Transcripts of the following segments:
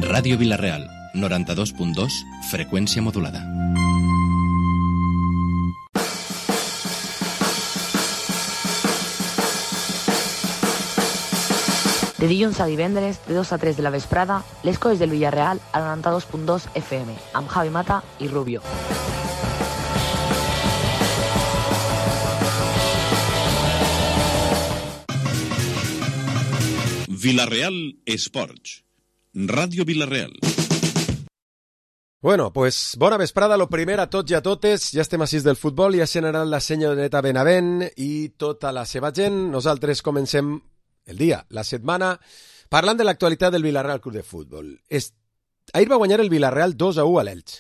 Ràdio Vila-real, 92.2, freqüència modulada. De dilluns a divendres, de 2 a 3 de la vesprada, les coses del Villarreal a 92.2 FM, amb Javi Mata i Rubio. Vila-real Esports. Ràdio Vila-real. Bueno, pues bona vesprada, lo primer a tots i a totes. Ja estem a 6 del futbol, ja s'ha anat la senyoreta Benavent i tota la seva gent. Nosaltres comencem el dia, la setmana, parlant de l'actualitat del Villarreal Club de Futbol. Ahir va guanyar el Villarreal 2-1 a l'Elx,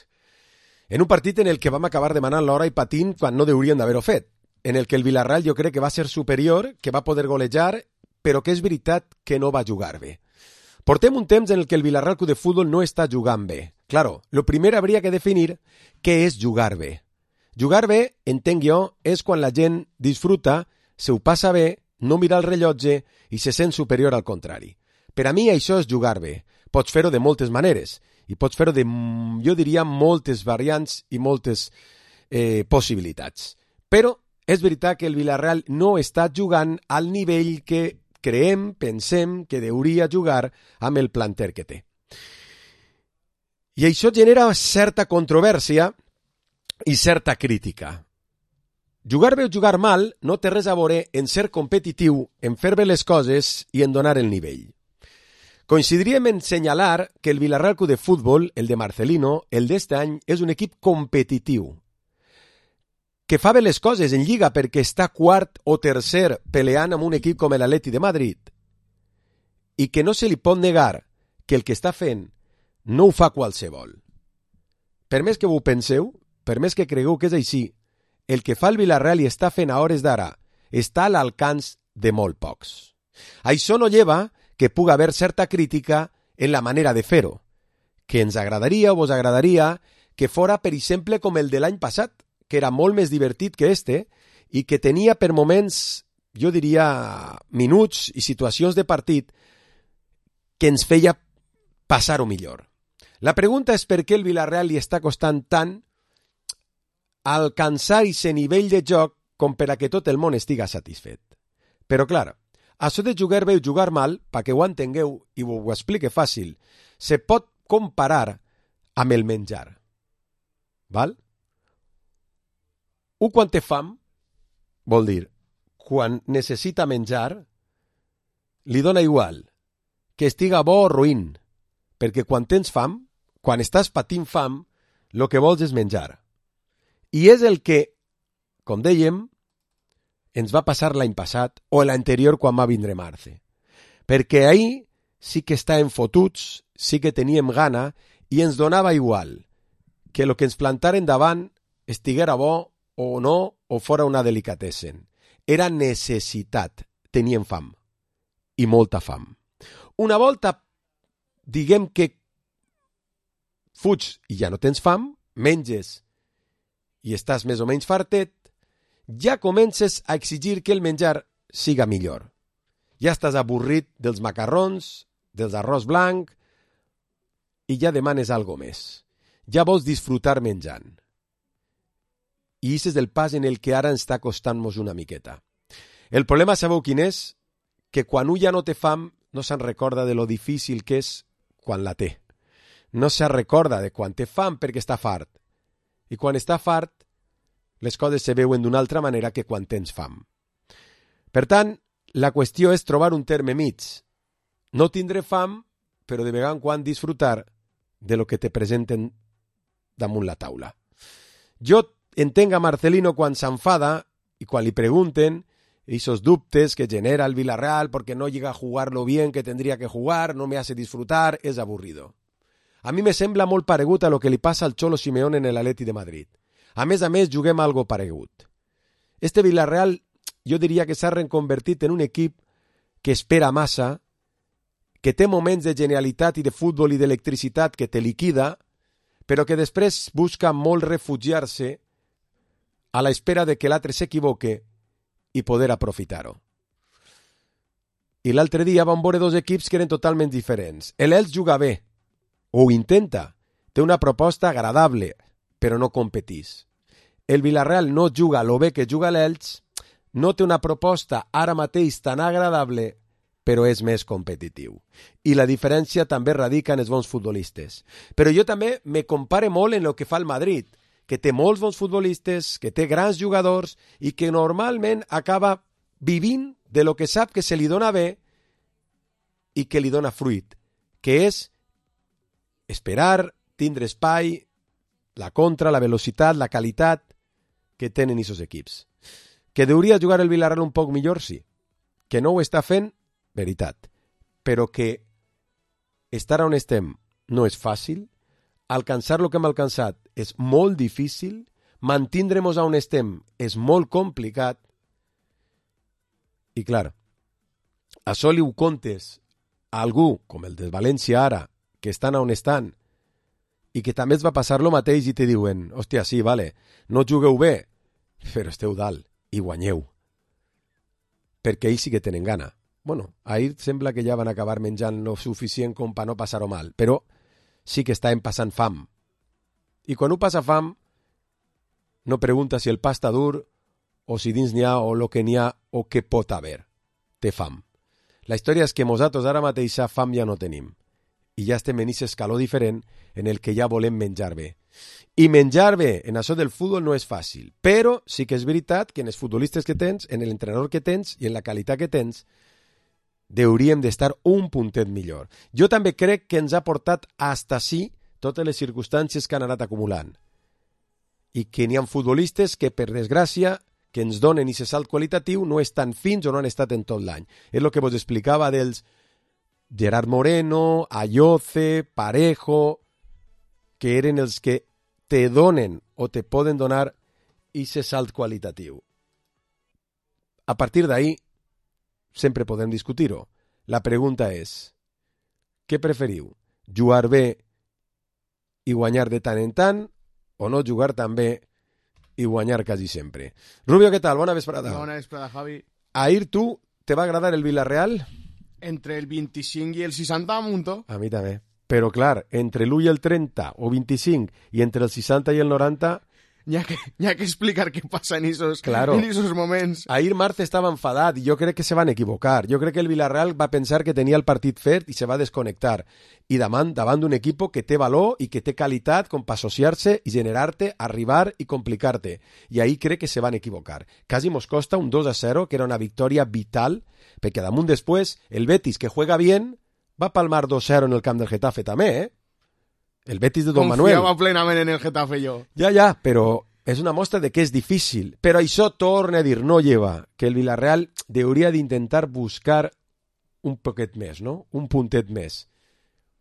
en un partit en el que vam acabar demanant l'hora i patint quan no deurien d'haver-ho fet, en el que el Villarreal jo crec que va ser superior, que va poder golejar, però que és veritat que no va jugar bé. Portem un temps en el que el Villarreal Club de Futbol no està jugant bé. Claro, lo primer habría que definir què és jugar bé. Jugar bé, entenc jo, és quan la gent disfruta, se ho passa bé, no mira el rellotge i se sent superior al contrari. Per a mi això és jugar bé. Pots fer-ho de moltes maneres i pots fer-ho de, jo diria, moltes variants i moltes possibilitats. Però és veritat que el Villarreal no està jugant al nivell que creiem, pensem que hauria jugar amb el planter que té. I això genera certa controvèrsia i certa crítica. Jugar bé o jugar mal no té res a veure en ser competitiu, en fer bé les coses i en donar el nivell. Coincidiríem en senyalar que el Villarreal Club de Futbol, el de Marcelino, el d'este any, és un equip competitiu, que fa bé les coses en Lliga perquè està quart o tercer peleant amb un equip com l'Atleti de Madrid i que no se li pot negar que el que està fent no ho fa qualsevol. Per més que ho penseu, per més que cregueu que és així, el que fa el Villarreal i està fent a hores d'ara està a l'alcance de molt pocs. Això no lleva que pugui haver certa crítica en la manera de fer-ho, que ens agradaria o vos agradaria que fora, per exemple, com el de l'any passat, que era molt més divertit que este i que tenia per moments, jo diria, minuts i situacions de partit que ens feia passar-ho millor. La pregunta és per què el Villarreal li està costant tant alcançar aquest nivell de joc com per a que tot el món estiga satisfet. Però, clar, això de jugar bé o jugar mal, perquè ho entengueu i ho explique fàcil, se pot comparar amb el menjar. Val? Un quan té fam, vol dir, quan necessita menjar, li dona igual que estiga bo o ruïn, perquè quan tens fam, quan estàs patint fam, el que vols és menjar. I és el que, com dèiem, ens va passar l'any passat o l'anterior quan va vindre Marce. Perquè ahir sí que estàvem fotuts, sí que teníem gana i ens donava igual que el que ens plantaren davant estiguera bo o no o fora una delicatessen. Era necessitat. Teníem fam. I molta fam. Una volta, diguem que fuig i ja no tens fam, menges i estàs més o menys fartet, ja comences a exigir que el menjar siga millor. Ja estàs avorrit dels macarrons, dels arròs blanc, i ja demanes algo més. Ja vols disfrutar menjant. I aquest és el pas en el que ara ens està costant-nos una miqueta. El problema, sabeu quin és? Que quan un ja no té fam, no se'n recorda de lo difícil que és quan la té. No se'n recorda de quan té fam perquè està fart. I quan està fart, les coses se veuen d'una altra manera que quan tens fam. Per tant, la qüestió és trobar un terme mig. No tindré fam, però de vegada en quan disfrutar de lo que te presenten damunt la taula. Jo entenc a Marcelino quan s'enfada y quan li pregunten esos dubtes que genera el Villarreal porque no llega a jugar lo bien que tendría que jugar, no me hace disfrutar, es aburrido. A mi me sembla molt paregut a lo que li passa al Cholo Simeone en el Atleti de Madrid. A més, juguem algo paregut. Este Villarreal, jo diria que s'ha reconvertit en un equip que espera massa, que té moments de genialitat i de futbol i d'electricitat que te liquida, però que després busca molt refugiar-se a l'espera de que l'altre s'equivoque i poder aprofitar-ho. I l'altre dia vam veure dos equips que eren totalment diferents. L'Elx juga bé, o ho intenta. Té una proposta agradable, però no competís. El Villarreal no juga lo bé que juga l'Elx, no té una proposta ara mateix tan agradable, però és més competitiu. I la diferència també radica en els bons futbolistes. Però jo també me compare molt en el que fa el Madrid, que té molts bons futbolistes, que té grans jugadors i que normalment acaba vivint de lo que sap que se li dona bé i que li dona fruit, que és esperar, tindre espai, la contra, la velocitat, la qualitat que tenen aquests equips. Que hauria jugar el Villarreal un poc millor, sí. Que no ho està fent, veritat. Però que estar on estem no és fàcil, alcançar el que hem alcançat és molt difícil, mantindre-nos on estem és molt complicat, i clar, això li ho contes a algú, com el de València ara, que estan on estan, i que també es va passar lo mateix i te diuen, hòstia, sí, vale, no jugueu bé, però esteu dalt i guanyeu. Perquè ells sí que tenen gana. Bueno, ahir sembla que ja van acabar menjant lo suficient com per no passar-ho mal, però sí que estaven passant fam. I quan ho passa fam, no pregunta si el pa està dur, o si dins n'hi ha, o lo que n'hi ha, o què pot haver. Té fam. La història és que nosaltres ara mateixa fam ja no tenim. I ja estem en aquest escaló diferent en el que ja volem menjar bé. I menjar bé en això del futbol no és fàcil, però sí que és veritat que en els futbolistes que tens, en l'entrenador que tens i en la qualitat que tens, hauríem d'estar un puntet millor. Jo també crec que ens ha portat hasta sí totes les circumstàncies que han anat acumulant. I que n'hi ha futbolistes que, per desgràcia, que ens donen aquest salt qualitatiu no estan fins o no han estat en tot l'any. És el que vos explicava dels Gerard Moreno, Ayoce, Parejo, que eren els que te donen o te poden donar aquest salt qualitatiu. A partir d'ahí, sempre podem discutir-ho. La pregunta és, què preferiu? Jugar bé i guanyar de tant en tant o no jugar tan bé i guanyar quasi sempre? Rubio, què tal? Bona vesprada. Bona vesprada, Javi. Ahir tu, te va agradar el Villarreal? Entre el 25 i el 60 munto. A mi també. Però clar, entre l'1 i el 30 o 25 i entre el 60 i el 90... N'hi ha que explicar què passa en esos moments. Ahir Marte estava enfadat i jo crec que se van equivocar. Jo crec que el Villarreal va pensar que tenia el partit fet i se va desconnectar. I davant d'un equip que té valor i que té qualitat com per associar-se i generar-te, arribar i complicar-te. I ahir crec que se van equivocar. Quasi mos costa un 2-0, que era una victòria vital, perquè damunt després el Betis, que juega bien, va palmar 2-0 en el camp del Getafe també, eh? El Betis de Don Manuel. Confiava plenament en el Getafe jo. Ja, però és una mostra de que és difícil. Però això torna a dir, no lleva, que el Villarreal hauria d'intentar buscar un poquet més, no? Un puntet més.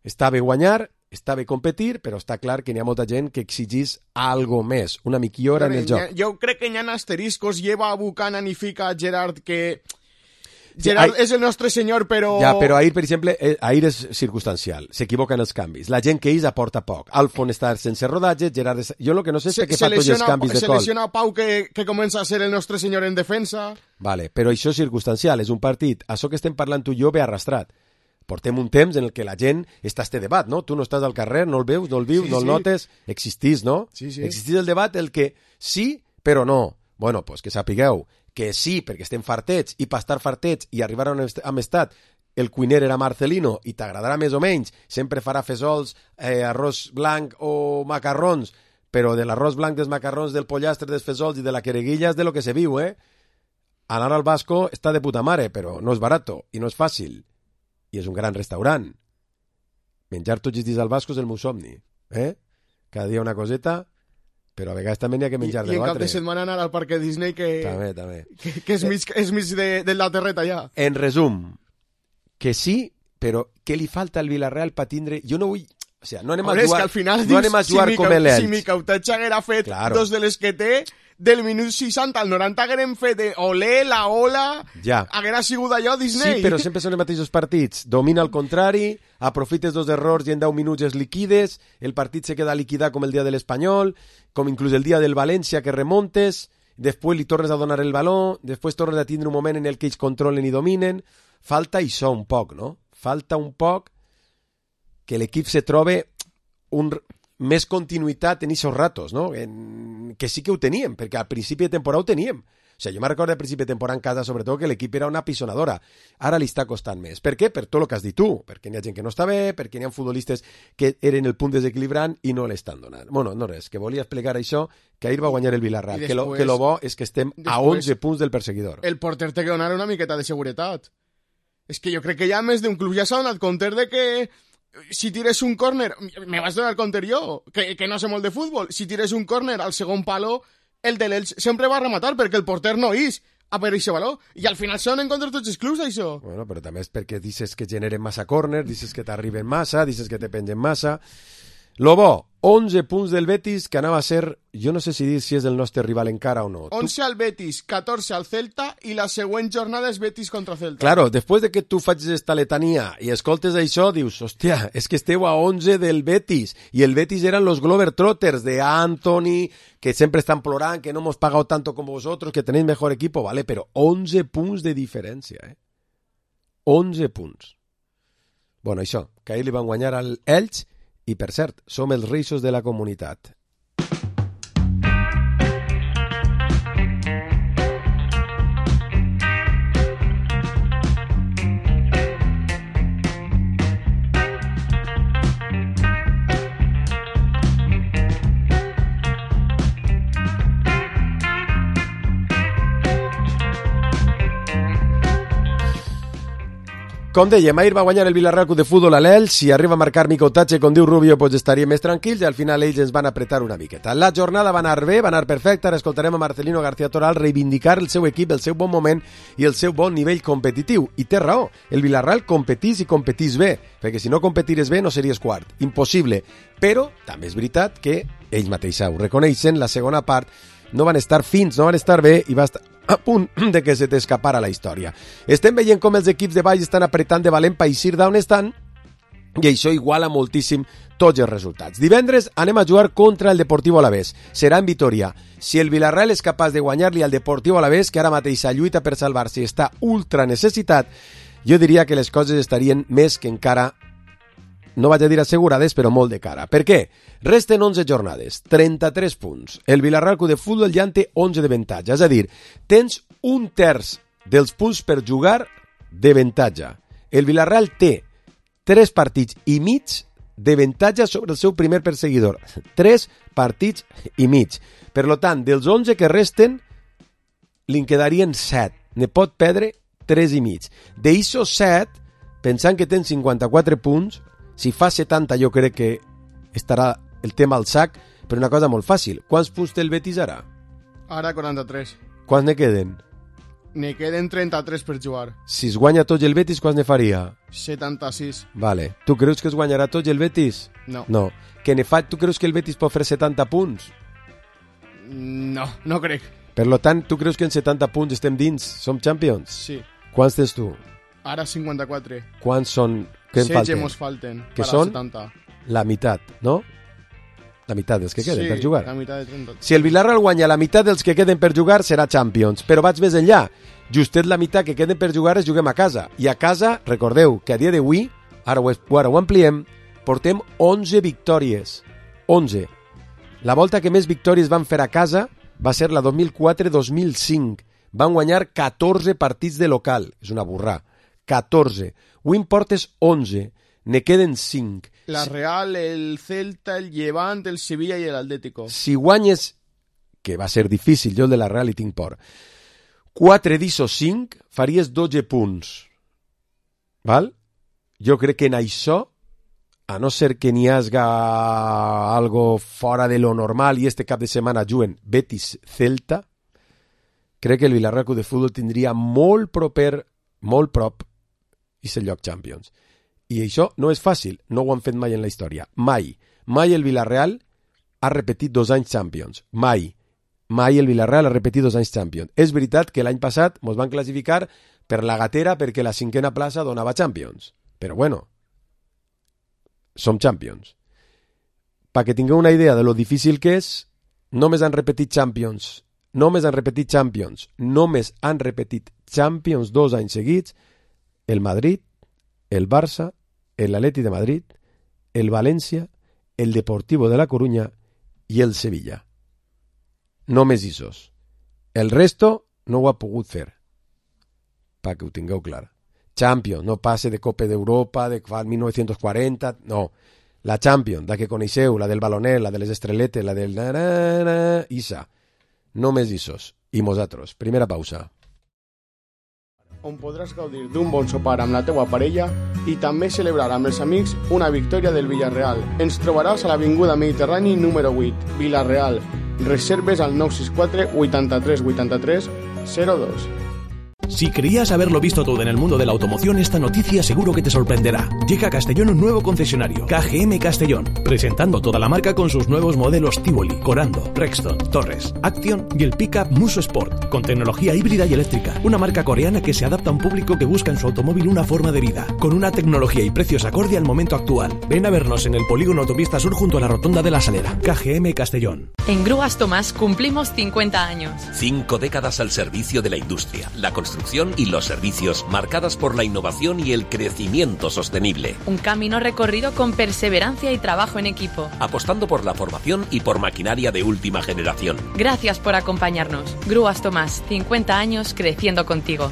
Està bé guanyar, està bé competir, però està clar que n'hi ha molta gent que exigís algo més, una millora en el joc. Jo crec que n'hi ha asteriscos, lleva a Buchanan i fica a Gerard que... Gerard és el nostre senyor, però... Ja, però ahir, per exemple, ahir és circumstancial. S'equivoquen els canvis. La gent que ells aporta poc. Alfon està sense rodatge, Gerard... Jo el que no sé és què fa tots els canvis de col. Se lesiona Pau, que comença a ser el nostre senyor en defensa. Vale, però això és circumstancial, és un partit. Això que estem parlant tu i jo ve arrastrat. Portem un temps en el que la gent està a este debat, no? Tu no estàs al carrer, no el veus, no el vius, no el notes. Existís, no? Sí. Existís el debat el que sí, però no. Bueno, pues que sapigueu que sí, perquè estem fartets, i per estar fartets i arribar on hem estat, el cuiner era Marcelino, i t'agradarà més o menys, sempre farà fesols, arròs blanc o macarrons, però de l'arròs blanc, dels macarrons, del pollastre, dels fesols i de la quereguilla és de lo que se viu, eh? Anar al Basco està de puta mare, però no és barato, i no és fàcil, i és un gran restaurant. Menjar tots els dies al Basco és el meu somni, eh? Cada dia una coseta... però a vegades també n'hi ha que menjar de l'altre. I en cap de setmana anar al parc Disney que... També. Que és mig de la terreta ja. En resum, que sí, però què li falta al Villarreal per tindre... Jo no vull... O sigui, no anem a jugar, no anem a jugar com l'Elx. Si Micautatge haguera fet dos de les que té, del minut 60 al 90 haguérem fet olé, la ola, haguera sigut allò Disney. Sí, però sempre són els mateixos partits. Domina al contrari, aprofites dos errors i en 10 minuts es liquides, el partit se queda liquidat com el dia de l'Espanyol, com inclús el dia del València que remontes, després li tornes a donar el baló, després tornes a tindre un moment en el que ells controlen i dominen. Falta això un poc, no? Falta un poc que l'equip se trobe més continuïtat en aquests ratos, no? Que sí que ho teníem, perquè al principi de temporada ho teníem. O sigui, jo me recordo al principi de temporada en casa, sobretot, que l'equip era una pisonadora. Ara li està costant més. Per què? Per tot el que has dit tu. Perquè n'hi ha gent que no està bé, perquè n'hi ha futbolistes que eren el punt desequilibrant i no l'estan donant. Bueno, no res, que volia explicar això, que ahir va guanyar el Villarreal. Després, que lo bo és que estem a 11 punts del perseguidor. El porter té que donar una miqueta de seguretat. És que jo crec que ja més d'un club ja s'ha donat compte de que si tires un córner, me vas donar compte jo, que no sé molt de futbol, si tires un córner al segon palo, el de l'Elx sempre va rematar perquè el porter no és a per aquest valor. I al final se donen contra tots els clubs, això. Bueno, però també és perquè dices que generen massa córner, dices que t'arriben massa, dices que te pengen massa. Lo bo, 11 punts del Betis, que anava a ser, jo no sé si dir si és el nostre rival encara o no. 11 al Betis, 14 al Celta i la següent jornada és Betis contra Celta. Claro, després de que tu facis esta letania i escoltes això, dius, hòstia, és que esteu a 11 del Betis, i el Betis eren los Globetrotters de Anthony, que sempre estan plorant, que no hemos pagado tanto como vosotros, que tenéis mejor equipo, vale, però 11 punts de diferència, 11 punts. Bueno, això, que ahir li van guanyar al Elx, i, per cert, som els reixos de la comunitat. Com dèiem, ahir va guanyar el Villarreal Club de Futbol a l'Elx, si arriba a marcar Mico Tatxe, com diu Rubio, pues estaríem més tranquils, i al final ells ens van apretar una miqueta. La jornada va anar bé, va anar perfecta, ara escoltarem a Marcelino García Toral reivindicar el seu equip, el seu bon moment i el seu bon nivell competitiu. I té raó, el Villarreal competís i competís bé, perquè si no competires bé no series quart, impossible. Però també és veritat que ells mateixos ho reconeixen, la segona part no van estar fins, no van estar bé i va estar a punt de que se t'escapara la història. Estem veient com els equips de baix estan apretant de valent per eixir d'on estan i això iguala moltíssim tots els resultats. Divendres anem a jugar contra el Deportivo Alavés. Serà en Vitoria. Si el Villarreal és capaç de guanyar-li al Deportivo Alavés, que ara mateix lluita per salvar-se i està ultra necessitat, jo diria que les coses estarien més que encara, no vaig a dir assegurades, però molt de cara. Per què? Resten 11 jornades, 33 punts. El Villarreal Club de Futbol ja en té 11 de avantatge. És a dir, tens un terç dels punts per jugar d'avantatge. El Villarreal té 3 partits i mig d'avantatge sobre el seu primer perseguidor. 3 partits i mig. Per tant, dels 11 que resten, li en quedarien 7. Ne pot perdre 3 i mig. D'eixos 7, pensant que tens 54 punts, si fa 70 jo crec que estarà el tema al sac, però una cosa molt fàcil. Quants punts té el Betis ara? Ara 43. Quants ne queden? Ne queden 33 per jugar. Si es guanya tots el Betis, quants ne faria? 76. Vale. Tu creus que es guanyarà tots el Betis? No. No. Tu creus que el Betis pot fer 70 punts? No, no crec. Per tant, tu creus que en 70 punts estem dins? Som champions? Sí. Quants tens tu? Ara 54. Quants són? Què en falten? 16 mos falten. Que són 70. La meitat, no? La meitat dels que queden per jugar. Sí, la meitat de 30. Si el Villarreal guanya la meitat dels que queden per jugar, serà Champions. Però vaig més enllà. Justet la meitat que queden per jugar es juguem a casa. I a casa, recordeu que a dia d'avui, ara ho ampliem, portem 11 victòries. 11. La volta que més victòries van fer a casa va ser la 2004-2005. Van guanyar 14 partits de local. És una burrà. 14. Avui en portes 11. Ne queden 5. La Real, el Celta, el Levant, el Sevilla i l'Atlético. Si guanyes, que va ser difícil, jo el de la Real hi tinc por, 4 d'ixos 5, faries 12 punts. Val? Jo crec que en això, a no ser que n'hi hagi algo fora de lo normal i este cap de setmana juguen Betis-Celta, crec que el Villarreal Club de Futbol tindria molt prop i ser lloc Champions. I això no és fàcil, no ho han fet mai en la història. Mai el Villarreal ha repetit 2 anys Champions. Mai el Villarreal ha repetit 2 anys Champions. És veritat que l'any passat ens van classificar per la gatera perquè la 5a plaça donava Champions. Però bueno, som Champions. Perquè tingueu una idea de lo difícil que és, només han repetit Champions Només han repetit Champions. Només han repetit Champions 2 anys seguits el Madrid, el Barça, l'Atleti de Madrid, el València, el Deportivo de la Coruña i el Sevilla. Només isos. El resto no ho ha pogut fer. Perquè ho tingueu clar. Champions, no passe de Copa d'Europa, de 1940, no. La Champions, la que coneixeu, la del balonet, la de les estreletes, la del... Isa. Només isos. I nosaltres. Primera pausa. On podràs gaudir d'un bon sopar amb la teua parella i també celebrar amb els amics una victòria del Villarreal. Ens trobaràs a l'Avinguda Mediterrani número 8, Villarreal. Reserves al 964 83 83 02. Si creías haberlo visto todo en el mundo de la automoción, esta noticia seguro que te sorprenderá. Llega a Castellón un nuevo concesionario, KGM Castellón, presentando toda la marca con sus nuevos modelos Tivoli, Corando, Rexton, Torres, Action y el pickup Muso Sport, con tecnología híbrida y eléctrica. Una marca coreana que se adapta a un público que busca en su automóvil una forma de vida, con una tecnología y precios acorde al momento actual. Ven a vernos en el polígono Autopista Sur junto a la Rotonda de la Salera. KGM Castellón. En Grúas Tomás cumplimos 50 años. 5 décadas al servicio de la industria, la construcción y los servicios, marcadas por la innovación y el crecimiento sostenible. Un camino recorrido con perseverancia y trabajo en equipo. Apostando por la formación y por maquinaria de última generación. Gracias por acompañarnos. Grúas Tomás, 50 años creciendo contigo.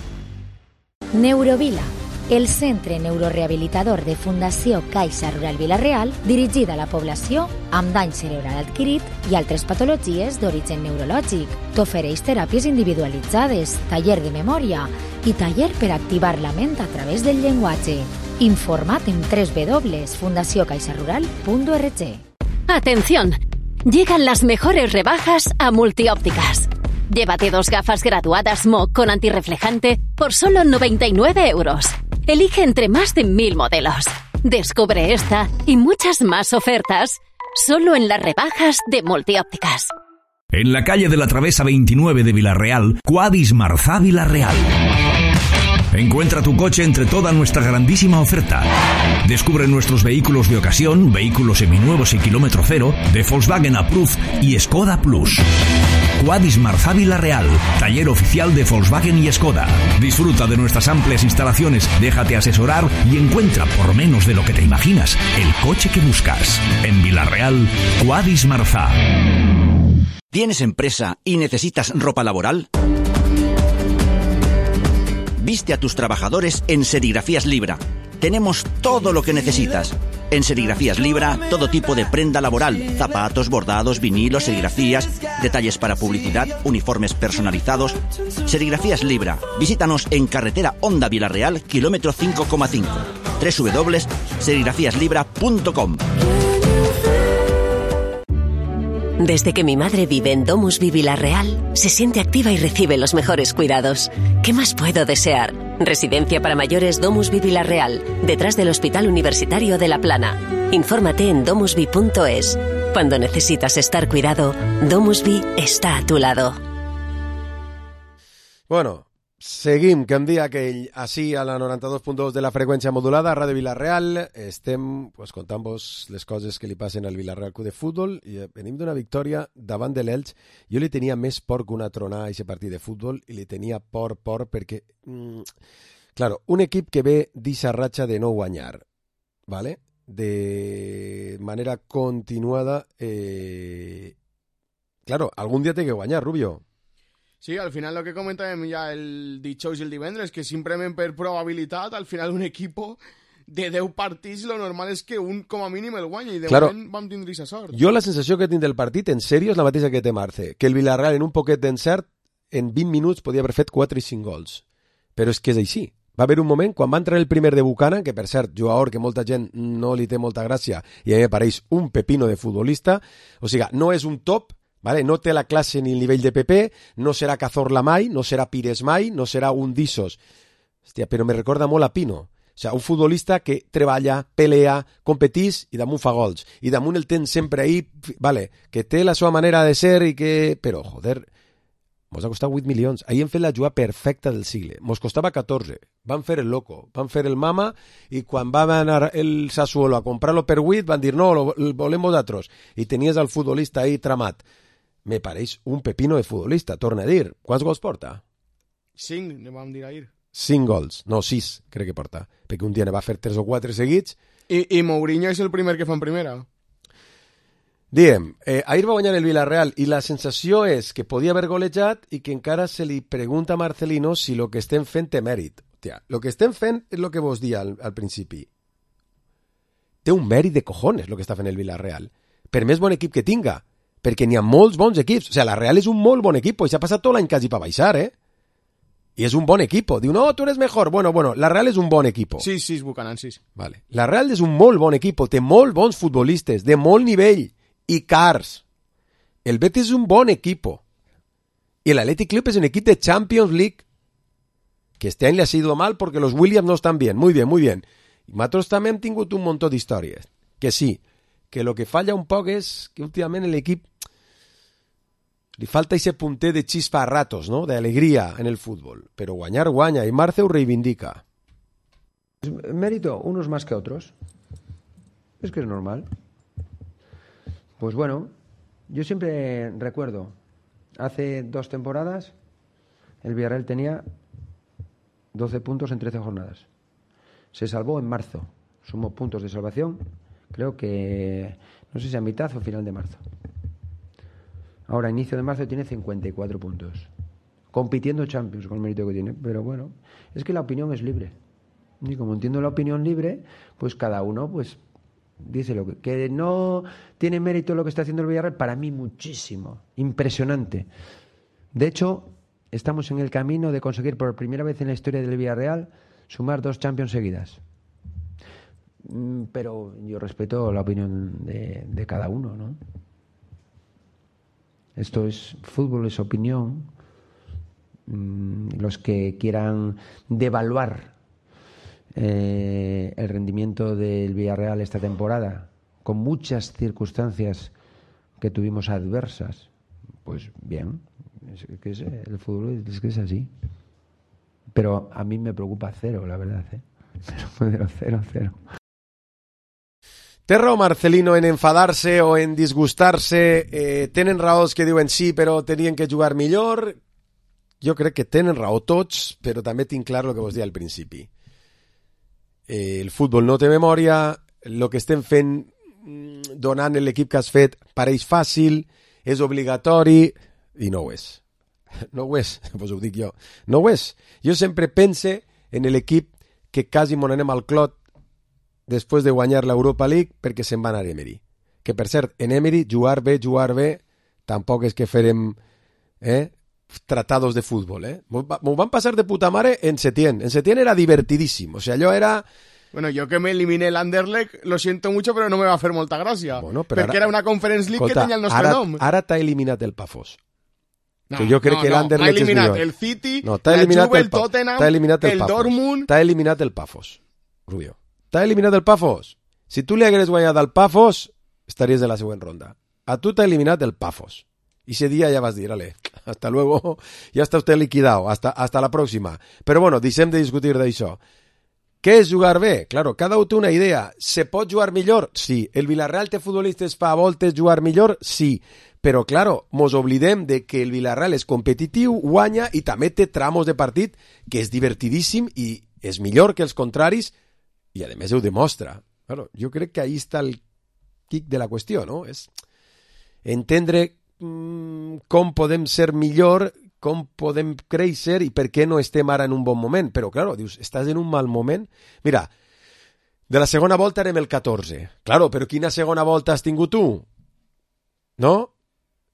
Neurovila, el centre neurorehabilitador de Fundació Caixa Rural Vila-real, dirigida a la població amb dany cerebral adquirit i altres patologies d'origen neurològic. T'ofereix teràpies individualitzades, taller de memòria i taller per activar la ment a través del llenguatge. Informa't en www.fundaciocaixarural.org. ¡Atención! Llegan las mejores rebajas a Multiópticas. Llévate 2 gafas graduadas MOC con antirreflejante por solo 99 euros. Elige entre más de 1000 modelos. Descubre esta y muchas más ofertas solo en las rebajas de Multiópticas. En la calle de la Travesa 29 de Vila-real, Quadis Marzá Vila-real. Encuentra tu coche entre toda nuestra grandísima oferta. Descubre nuestros vehículos de ocasión, vehículos seminuevos y kilómetro cero, de Volkswagen Approved y Skoda Plus. Quadis Marzá Vila-real, taller oficial de Volkswagen y Skoda. Disfruta de nuestras amplias instalaciones, déjate asesorar y encuentra, por menos de lo que te imaginas, el coche que buscas. En Vila-real, Quadis Marzá. ¿Tienes empresa y necesitas ropa laboral? Viste a tus trabajadores en Serigrafías Libra. Tenemos todo lo que necesitas. En Serigrafías Libra, todo tipo de prenda laboral, zapatos, bordados, vinilos, serigrafías, detalles para publicidad, uniformes personalizados. Serigrafías Libra. Visítanos en carretera Honda Vila-real, kilómetro 5,5. www.serigrafíaslibra.com. Desde que mi madre vive en DomusVi Vila-real, se siente activa y recibe los mejores cuidados. ¿Qué más puedo desear? Residencia para mayores DomusVi Vila-real, detrás del Hospital Universitario de La Plana. Infórmate en domusvi.es. Cuando necesitas estar cuidado, DomusVi está a tu lado. Bueno, seguim, que em dia aquell, així a la 92.2 de la freqüència modulada, a Ràdio Vila-real. Estem contant-vos les coses que li passen al Vila-real Club de Futbol i venim d'una victòria davant de l'Elx. Jo li tenia més por que una tronada a aquest partit de futbol i li tenia por perquè, claro, un equip que ve d'eixa ratxa de no guanyar, ¿vale? De manera continuada, claro, algun dia té que guanyar, Rubio. Sí, al final lo que comentàvem ja el dijous i el divendres, que simplement per probabilitat, al final un equipo de 10 partits, lo normal és que un com a mínim el guanya, i de moment vam tindre aquesta sort. Jo la sensació que tinc del partit, en sèrio, és la mateixa que té Marce, que el Villarreal en un poquet d'encert, en 20 minuts podia haver fet 4 i 5 gols. Però és que és així. Va haver un moment, quan va entrar el primer de Bucana, que per cert, jugador que molta gent no li té molta gràcia, i a mi me pareix un pepino de futbolista, o sigui, no és un top, ¿vale? No té la classe ni el nivell de PP, no serà Cazorla mai, no serà Pires mai, no serà un d'Issos. Hòstia, però me recorda molt a Pino. O sigui, un futbolista que treballa, pelea, competís i damunt fa gols. I damunt el tens sempre ahí, vale, que té la seva manera de ser i que... Però, joder, mos ha costat 8 milions. Ahir hem fet la jugada perfecta del sigle. Mos costava 14. Van fer el loco, van fer el mama, i quan va anar el Sassuolo a comprar-lo per 8, van dir, no, lo volem vosaltres. I tenies el futbolista ahí tramat. me pareix un pepino de futbolista, torna a dir. Quants gols porta? 5, ne vam dir ahir. 5 gols, no 6, crec que porta, perquè un dia ne va fer 3 o 4 seguits. I Mourinho és el primer que fa en primera. Diem, ahir va guanyar el Villarreal i la sensació és que podia haver golejat i que encara se li pregunta a Marcelino si lo que estem fent té mèrit. Hòstia, lo que estem fent és lo que vos dia al principi. Té un mèrit de cojones lo que està fent el Villarreal. Per més bon equip que tinga, perquè n'hi ha molts bons equips. O sigui, la Real és un molt bon equip i s'ha passat tot l'any quasi per baixar, I és un bon equip. Diu, no, tu eres mejor. Bueno, la Real és un bon equip. Sí, Buchanan, sí. Vale. La Real és un molt bon equip, té molt bons futbolistes, de molt nivell, i cars. El Betis és un bon equip. I l'Athletic Club és un equip de Champions League, que este any le ha sido mal porque los Williams no están bien. Muy bien, muy bien. I nosaltres també hem tingut un munt d'històries. Que sí, que lo que falla un poc és que últimament l'equip li falta ese punter de chispa a ratos, ¿no? De alegría en el fútbol. Pero guañar guaña y Marceu reivindica. Mérito, unos más que otros. Es que es normal. Pues bueno, yo siempre recuerdo, hace 2 temporadas, el Villarreal tenía 12 puntos en 13 jornadas. Se salvó en marzo. Sumó puntos de salvación, creo que, no sé si a mitad o final de marzo. Ahora, inicio de marzo, tiene 54 puntos. Compitiendo Champions con el mérito que tiene. Pero bueno, es que la opinión es libre. Y como entiendo la opinión libre, pues cada uno pues dice lo que no tiene mérito lo que está haciendo el Villarreal. Para mí muchísimo. Impresionante. De hecho, estamos en el camino de conseguir por primera vez en la historia del Villarreal sumar 2 Champions seguidas. Pero yo respeto la opinión de cada uno, ¿no? Esto es fútbol, es opinión. Los que quieran devaluar el rendimiento del Villarreal esta temporada, con muchas circunstancias que tuvimos adversas, pues bien, el fútbol es que es así. Pero a mí me preocupa 0, la verdad, Pero 0. Té raó Marcelino en enfadar-se o en disgustar-se. Tenen raons que diuen sí, però tenien que jugar millor. Jo crec que tenen raó tots, però també tinc clar el que vos deia al principi. El futbol no té memòria, el que estem fent donant l'equip que has fet pareix fàcil, és obligatori, i no ho és. No ho és, vos ho dic jo. No ho és. Jo sempre pense en l'equip que quasi m'on anem al clot després de guanyar l'Europa League perquè se'n va anar a Emery. Que, per cert, en Emery, jugar bé, tampoc és que farem tratados de fútbol. M'ho van passar de puta mare en Setién. En Setién era divertidíssim. O sea, allò era... Bueno, yo que me eliminé el Anderlecht, lo siento mucho, pero no me va a hacer molta gràcia. Bueno, perquè era una Conference League que tenia el nostre nom. Ara t'ha eliminat el Pafos. No, que jo crec que l'Anderlecht és millor. M'ha eliminat el City, la Juve, el Tottenham, el Dortmund... T'ha eliminat el Pafos, Rubio. T'ha eliminat el Pafos. Si tu li hagués guanyat al Pafos, estaries de la següent ronda. A tu t'ha eliminat el Pafos. Y ese día ya vas a decir, ale, hasta luego, ya está usted liquidado, hasta la próxima. Però bueno, deixem de discutir d'això. Què és jugar bé? Claro, cada un té una idea. Se pot jugar millor? Sí. El Villarreal té futbolistes fa voltes jugar millor? Sí. Però, claro, mos oblidem de que el Villarreal és competitiu, guanya i també té tramos de partit que és divertidíssim i és millor que els contraris i, a més, ho demostra. Claro, jo crec que ahí està el quic de la qüestió, no? És entendre com podem ser millor, com podem créixer i per què no estem ara en un bon moment. Però, claro, dius, estàs en un mal moment? Mira, de la segona volta érem el 14. Claro, però quina segona volta has tingut tu? No?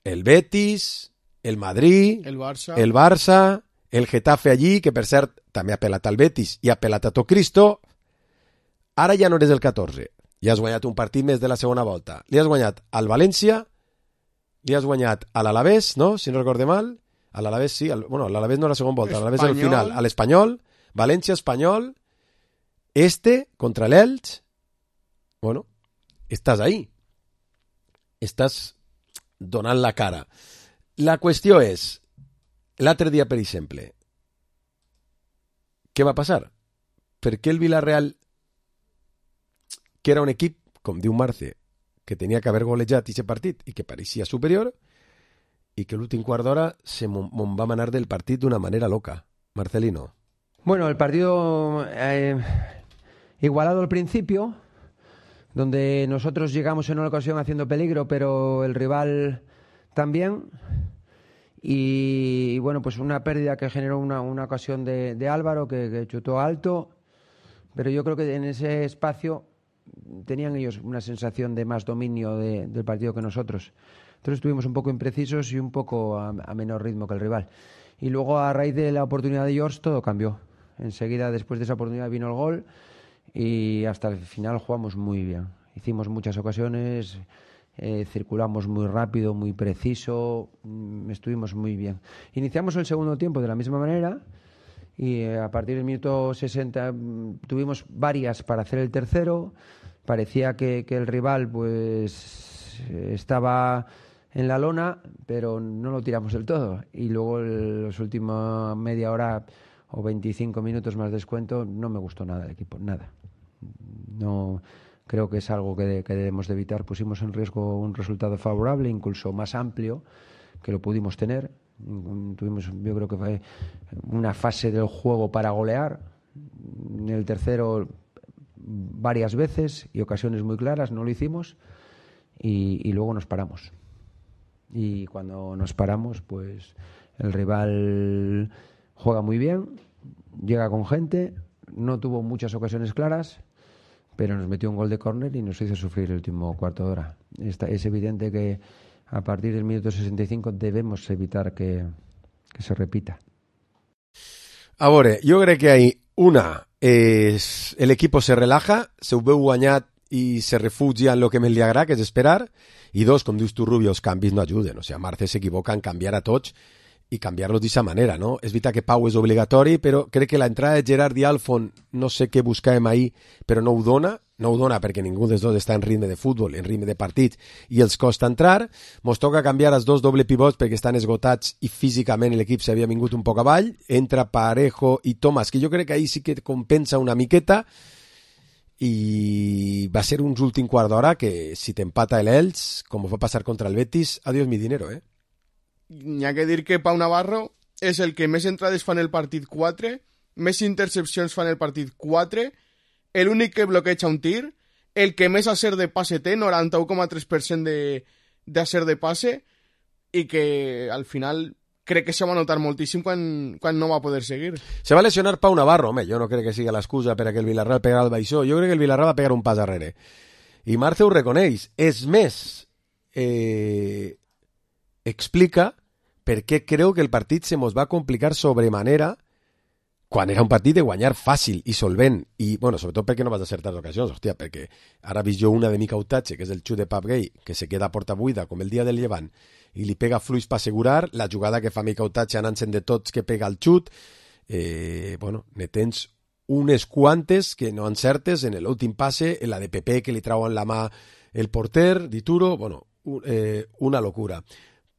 El Betis, el Madrid, el Barça, el Getafe allí, que per cert també ha pelat al Betis i ha pelat a Cristo. Ara ja no eres el 14. Ja has guanyat un partit més de la segona volta. Li has guanyat al València, li has guanyat a l'Alavés, no? Si no recorde mal. A l'Alavés sí. Bueno, l'Alavés no era la segona volta. A l'Alavés al final. A l'Espanyol. València, Espanyol. Contra l'Elx. Bueno, estàs ahí. Estàs donant la cara. La qüestió és, l'altre dia, per exemple, què va passar? Per què el Villarreal, que era un equip, com diu Marce, que tenia que haver golejat aquest partit i que pareixia superior, i que l'últim quart d'hora se m'on va manar del partit d'una manera loca. Marcelino. Bueno, el partido igualado al principio, donde nosotros llegamos en una ocasión haciendo peligro, pero el rival también. Y bueno, pues una pérdida que generó una ocasión de Álvaro, que chutó alto. Pero yo creo que en ese espacio tenían ellos una sensación de más dominio del partido que nosotros. Entonces estuvimos un poco imprecisos y un poco a menor ritmo que el rival. Y luego, a raíz de la oportunidad de George, todo cambió. Enseguida, después de esa oportunidad, vino el gol y hasta el final jugamos muy bien. Hicimos muchas ocasiones, circulamos muy rápido, muy preciso, estuvimos muy bien. Iniciamos el segundo tiempo de la misma manera y a partir del minuto 60 tuvimos varias para hacer el tercero. Parecía que el rival pues estaba en la lona, pero no lo tiramos del todo. Y luego los últimos media hora o 25 minutos más descuento, no me gustó nada el equipo, nada. No, creo que es algo que debemos de evitar. Pusimos en riesgo un resultado favorable, incluso más amplio, que lo pudimos tener. Tuvimos, yo creo que fue una fase del juego para golear. En el tercero varias veces y ocasiones muy claras, no lo hicimos y luego nos paramos. Y cuando nos paramos, pues el rival juega muy bien, llega con gente, no tuvo muchas ocasiones claras, pero nos metió un gol de córner y nos hizo sufrir el último cuarto de hora. Es evidente que a partir del minuto 65 debemos evitar que se repita. A veure, jo crec que una és l'equip se relaja, se ho veu guanyat i se refugia en lo que més li agrada, que és esperar, i dos, com dius tu, Rubio, els canvis no ajuden. O sigui, Marce s'equivoca en canviar a tots i canviar-los d'aquesta manera, no? És veritat que Pau és obligatori, però crec que l'entrada de Gerard i Alfon, no sé què buscàvem ahir, però no ho dona perquè ningú dels dos està en ritme de futbol, en ritme de partit, i els costa entrar. Mos toca canviar els dos doble pivots perquè estan esgotats i físicament l'equip s'havia vingut un poc avall. Entra Parejo i Tomàs, que jo crec que ahir sí que compensa una miqueta, i va ser uns últim quart d'hora que si t'empata l'Elx, com va passar contra el Betis, adiós mi dinero, eh? N'hi ha que dir que Pau Navarro és el que més entrades fa en el partit 4, més intercepcions fa en el partit 4, l'únic que bloqueja un tir, el que més acer de passe té, 91,3% d'acer de passe, i que al final crec que se va notar moltíssim quan no va poder seguir. Se va lesionar Pau Navarro, home, jo no crec que sigui l'excusa per a que el Villarreal pegara el baixó, jo crec que el Villarreal va pegar un pas darrere. I Marce ho reconeix. És més, explica per què creu que el partit se mos va complicar sobremanera quan era un partit de guanyar fàcil i solvent, i, bueno, sobretot perquè no vas acertar d'ocasions, hòstia, perquè ara he vist jo una de Mica Utache, que és el xut de Pap Gay, que se queda a porta buida, com el dia del Llevant, i li pega fluix per assegurar, la jugada que fa Mica Utache anant-se'n de tots que pega el xut, bueno, ne tens unes quantes que no encertes en l'últim passe, en la de Pepe que li trauen la mà el porter, Dituro, bueno, una locura.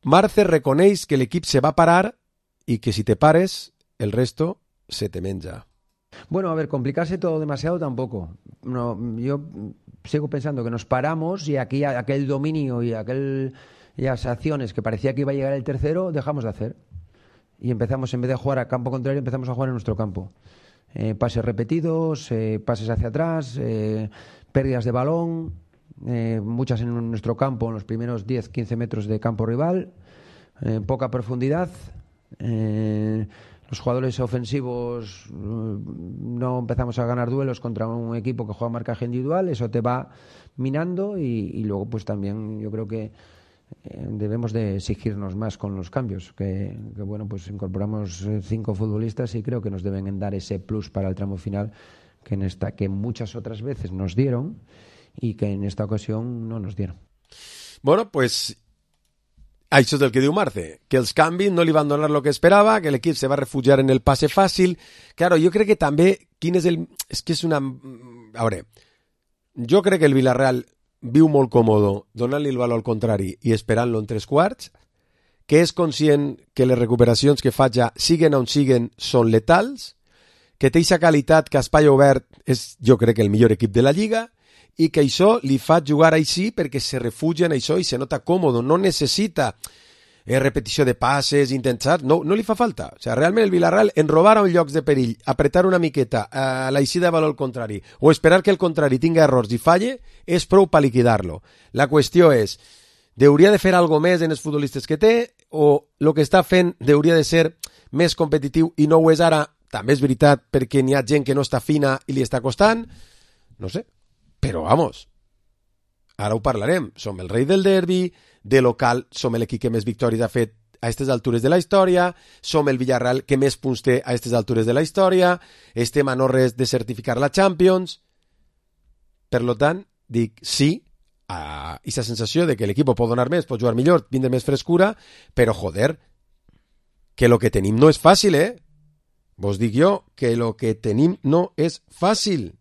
Marce reconeix que l'equip se va parar i que si te pares, el resto se te menja. Bueno, a ver, complicarse todo demasiado tampoco. No, yo sigo pensando que nos paramos y aquí aquel dominio y aquellas acciones que parecía que iba a llegar el tercero, dejamos de hacer. Y empezamos, en vez de jugar a campo contrario, empezamos a jugar en nuestro campo. Pases repetidos, pases hacia atrás, pérdidas de balón, muchas en nuestro campo, en los primeros 10-15 metros de campo rival, poca profundidad. Los jugadores ofensivos no empezamos a ganar duelos contra un equipo que juega marcaje individual, eso te va minando y luego pues también yo creo que debemos de exigirnos más con los cambios, que bueno, pues incorporamos 5 futbolistas y creo que nos deben dar ese plus para el tramo final que muchas otras veces nos dieron y que en esta ocasión no nos dieron. Bueno, pues això és el que diu Marce, que els canvis no li van donar el que esperava, que l'equip se va refugiar en el passe fàcil. Claro, jo crec que també, és que és una... A veure, jo crec que el Villarreal viu molt còmodo donant-li el valor al contrari i esperant-lo en 3 quarts, que és conscient que les recuperacions que fa ja, siguen on siguen, són letals, que té aquesta qualitat que a espai obert és, jo crec, el millor equip de la Lliga, i que això li fa jugar així perquè se refugia en això i se nota còmodo, no necessita repetició de passes, intentats, no li fa falta. O sigui, realment el Villarreal, en robar a un llocs de perill, apretar una miqueta a l'eixida de valor al contrari, o esperar que el contrari tinga errors i falle, és prou per liquidar-lo. La qüestió és, hauria de fer alguna més en els futbolistes que té, o el que està fent hauria de ser més competitiu i no ho és ara? També és veritat perquè n'hi ha gent que no està fina i li està costant, no sé, però vamos, ara ho parlarem, som el rei del derbi, de local som l'equip que més victòries ha fet a aquestes altures de la història, som el Villarreal que més punts té a aquestes altures de la història, estem a no res de certificar la Champions. Per tant, dic sí a aquesta sensació de que l'equip pot donar més, pot jugar millor, vindre més frescura, però joder, que lo que tenim no és fàcil, Vos dic jo que lo que tenim no és fàcil.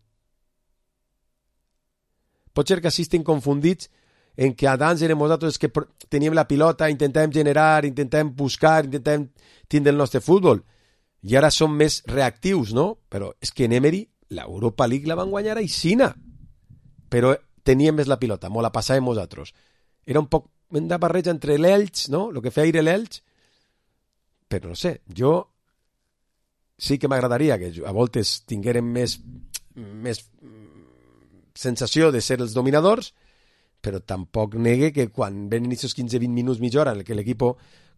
Pot ser que així estem confundits en que abans érem nosaltres que teníem la pilota, intentàvem generar, intentàvem buscar, intentàvem tindre el nostre futbol. I ara som més reactius, no? Però és que en Emery l'Europa League la van guanyar a Isina. Però teníem més la pilota, molt la passàvem nosaltres. Era un poc una barreja entre l'Elx, no? El que feia ir l'Elx. Però no sé, jo sí que m'agradaria que a voltes tinguérem més sensació de ser els dominadors, però tampoc negue que quan venen aquests 15-20 minuts, mitja hora en què l'equip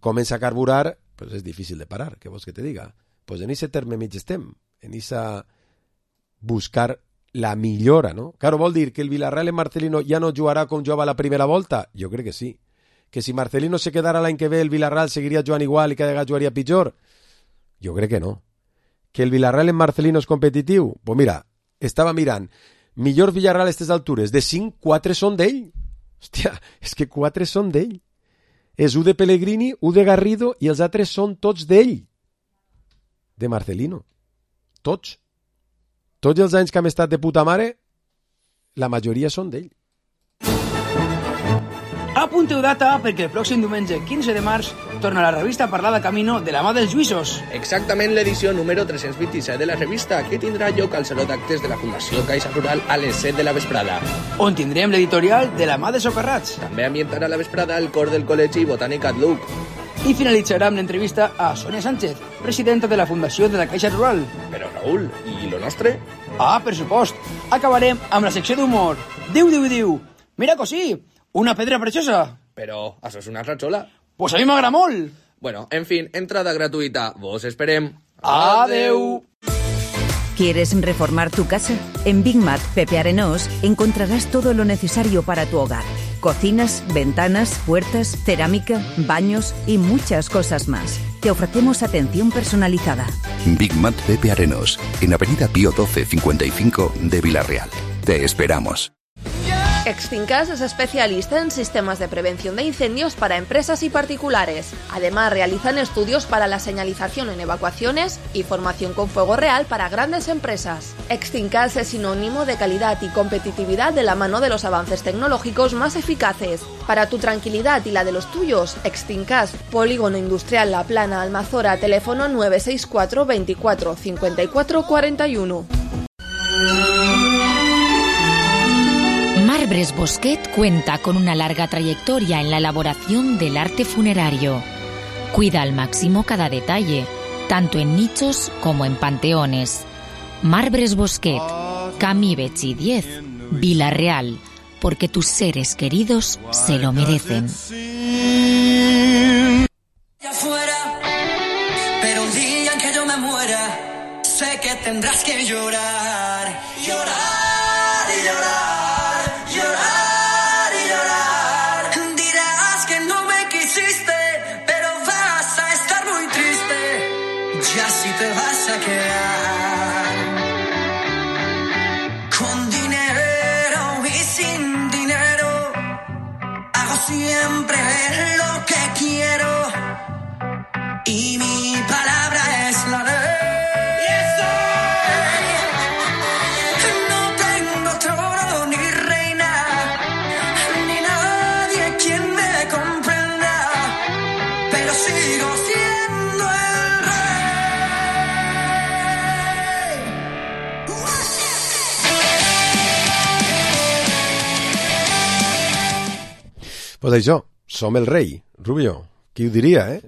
comença a carburar, pues és difícil de parar, què vols que te diga? Pues en aquest terme mig estem, en aquesta buscar la millora, no? Claro, vol dir que el Villarreal en Marcelino ja no jugarà com jugava la primera volta? Jo crec que sí. Que si Marcelino se quedara l'any que ve, el Villarreal seguiria jugant igual i cada vegada jugaria pitjor? Jo crec que no. Que el Villarreal en Marcelino és competitiu? Pues mira, estava mirant, millor Villarreal a aquestes altures, de 5, 4 són d'ell. Hòstia, és que 4 són d'ell. És 1 de Pellegrini, 1 de Garrido i els altres són tots d'ell. De Marcelino. Tots. Tots els anys que hem estat de puta mare, la majoria són d'ell. Apunteu data perquè el pròxim diumenge 15 de març torna la revista Parlada Camino de la mà dels Lluïsos. Exactament l'edició número 327 de la revista, que tindrà lloc al Saló d'Actes de la Fundació Caixa Rural a les 7 de la vesprada. On tindrem l'editorial de la mà de Socarrats. També ambientarà la vesprada el cor del Col·legi Botànic Adluc. I finalitzarà amb l'entrevista a Sonia Sánchez, presidenta de la Fundació de la Caixa Rural. Però, Raül, i lo nostre? Ah, per supost. Acabarem amb la secció d'humor. Diu. Mira cosí, una pedra preciosa. Però això és una ratxola. Pues a mi m'agrada molt. Bueno, en fin, entrada gratuïta. Vos esperem. Adeu. ¿Quieres reformar tu casa? En Big Mat Pepe Arenós encontrarás todo lo necesario para tu hogar. Cocinas, ventanas, puertas, cerámica, baños y muchas cosas más. Te ofrecemos atención personalizada. Big Mat Pepe Arenós, en Avenida Pío 12 55 de Villarreal. Te esperamos. Extincas es especialista en sistemas de prevención de incendios para empresas y particulares. Además, realizan estudios para la señalización en evacuaciones y formación con fuego real para grandes empresas. Extincas es sinónimo de calidad y competitividad de la mano de los avances tecnológicos más eficaces. Para tu tranquilidad y la de los tuyos, Extincas, Polígono Industrial La Plana, Almazora, teléfono 964 24 54 41. Marbres Bosquet cuenta con una larga trayectoria en la elaboración del arte funerario. Cuida al máximo cada detalle, tanto en nichos como en panteones. Marbres Bosquet, Camí Betxí 10, Villarreal, porque tus seres queridos se lo merecen. Afuera, pero un día en que yo me muera, sé que tendrás que llorar, llorar y llorar. Te vas a quedar con dinero y sin dinero. Hago siempre lo que quiero y mi palabra es la ley. No tengo trono ni reina, ni nadie quien me comprenda, pero sigo siendo el rey. Pues això, som el rei, Rubio. Qui ho diria,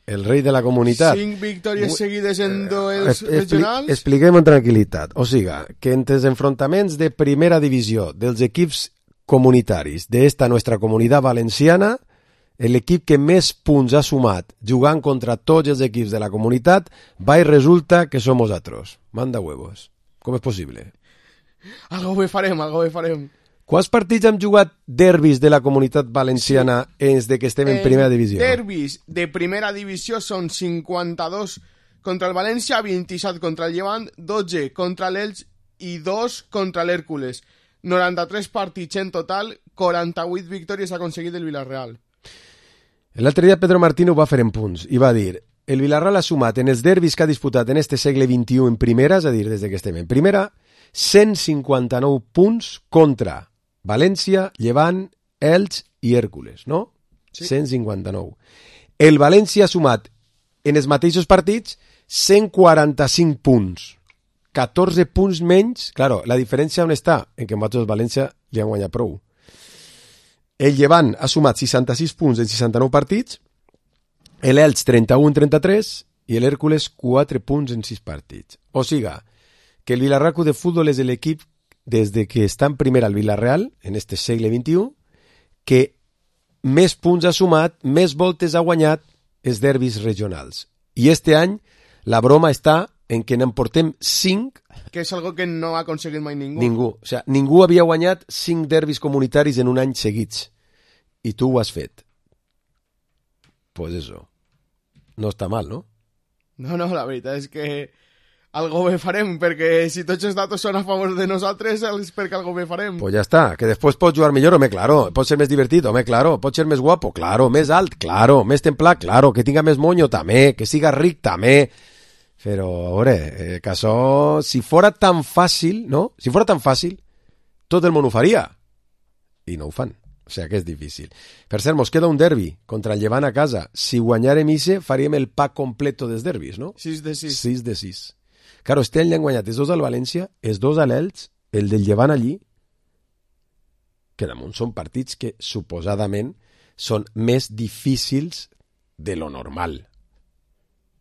El rei de la comunitat. 5 victòries seguides en duels regionals. Expliquem amb tranquil·litat. O sigui, que entre els enfrontaments de primera divisió dels equips comunitaris d'esta nostra comunitat valenciana, l'equip que més punts ha sumat jugant contra tots els equips de la comunitat va i resulta que som nosaltres. Manda huevos. Com és possible? Algo bé farem. Quants partits hem jugat derbis de la comunitat valenciana des de que estem en primera divisió? Derbis de primera divisió són 52 contra el València, 27 contra el Llevant, 12 contra l'Elx i 2 contra l'Hèrcules. 93 partits en total, 48 victòries ha aconseguit el Villarreal. L'altre dia Pedro Martín ho va fer en punts i va dir: el Villarreal ha sumat en els derbis que ha disputat en este segle XXI en primera, és a dir, des que estem en primera, 159 punts contra València, Llevant, Elx i Hèrcules, no? Sí. 159. El València ha sumat en els mateixos partits 145 punts. 14 punts menys. Claro, la diferència on està? En que nosaltres València li han guanyat prou. El Llevant ha sumat 66 punts en 69 partits, l'Elx 31 en 33 i l'Hèrcules 4 punts en 6 partits. O sigui, que el Villarreal Club de Futbol és l'equip des de que està en primera al Villarreal, en este segle XXI, que més punts ha sumat, més voltes ha guanyat els derbis regionals. I este any la broma està en que n'emportem 5. Que és algo que no ha aconseguit mai ningú. Ningú. O sea, ningú havia guanyat 5 derbis comunitaris en un any seguits. I tu ho has fet. Pues eso. No està mal, no? No, la veritat és que algo bé farem, perquè si tots els datos són a favor de nosaltres, és perquè algo bé farem. Pues ja està, que després pots jugar millor, home, claro, pots ser més divertit, home, claro, pots ser més guapo, claro, més alt, claro, més templat, claro, que tinga més moño, també, que siga ric, també. Però, a veure, que això, si fora tan fàcil, no? Si fora tan fàcil, tot el món ho faria. I no ho fan. O sigui que és difícil. Per cert, mos queda un derbi contra el Llevant a casa. Si guanyarem ixe, faríem el pack completo dels derbis, no? 6 de 6. 6 de 6. Claro, este any l'han guanyat els 2 al València, els 2 a l'Elx, el del Llevant allí, que damunt són partits que suposadament són més difícils de lo normal.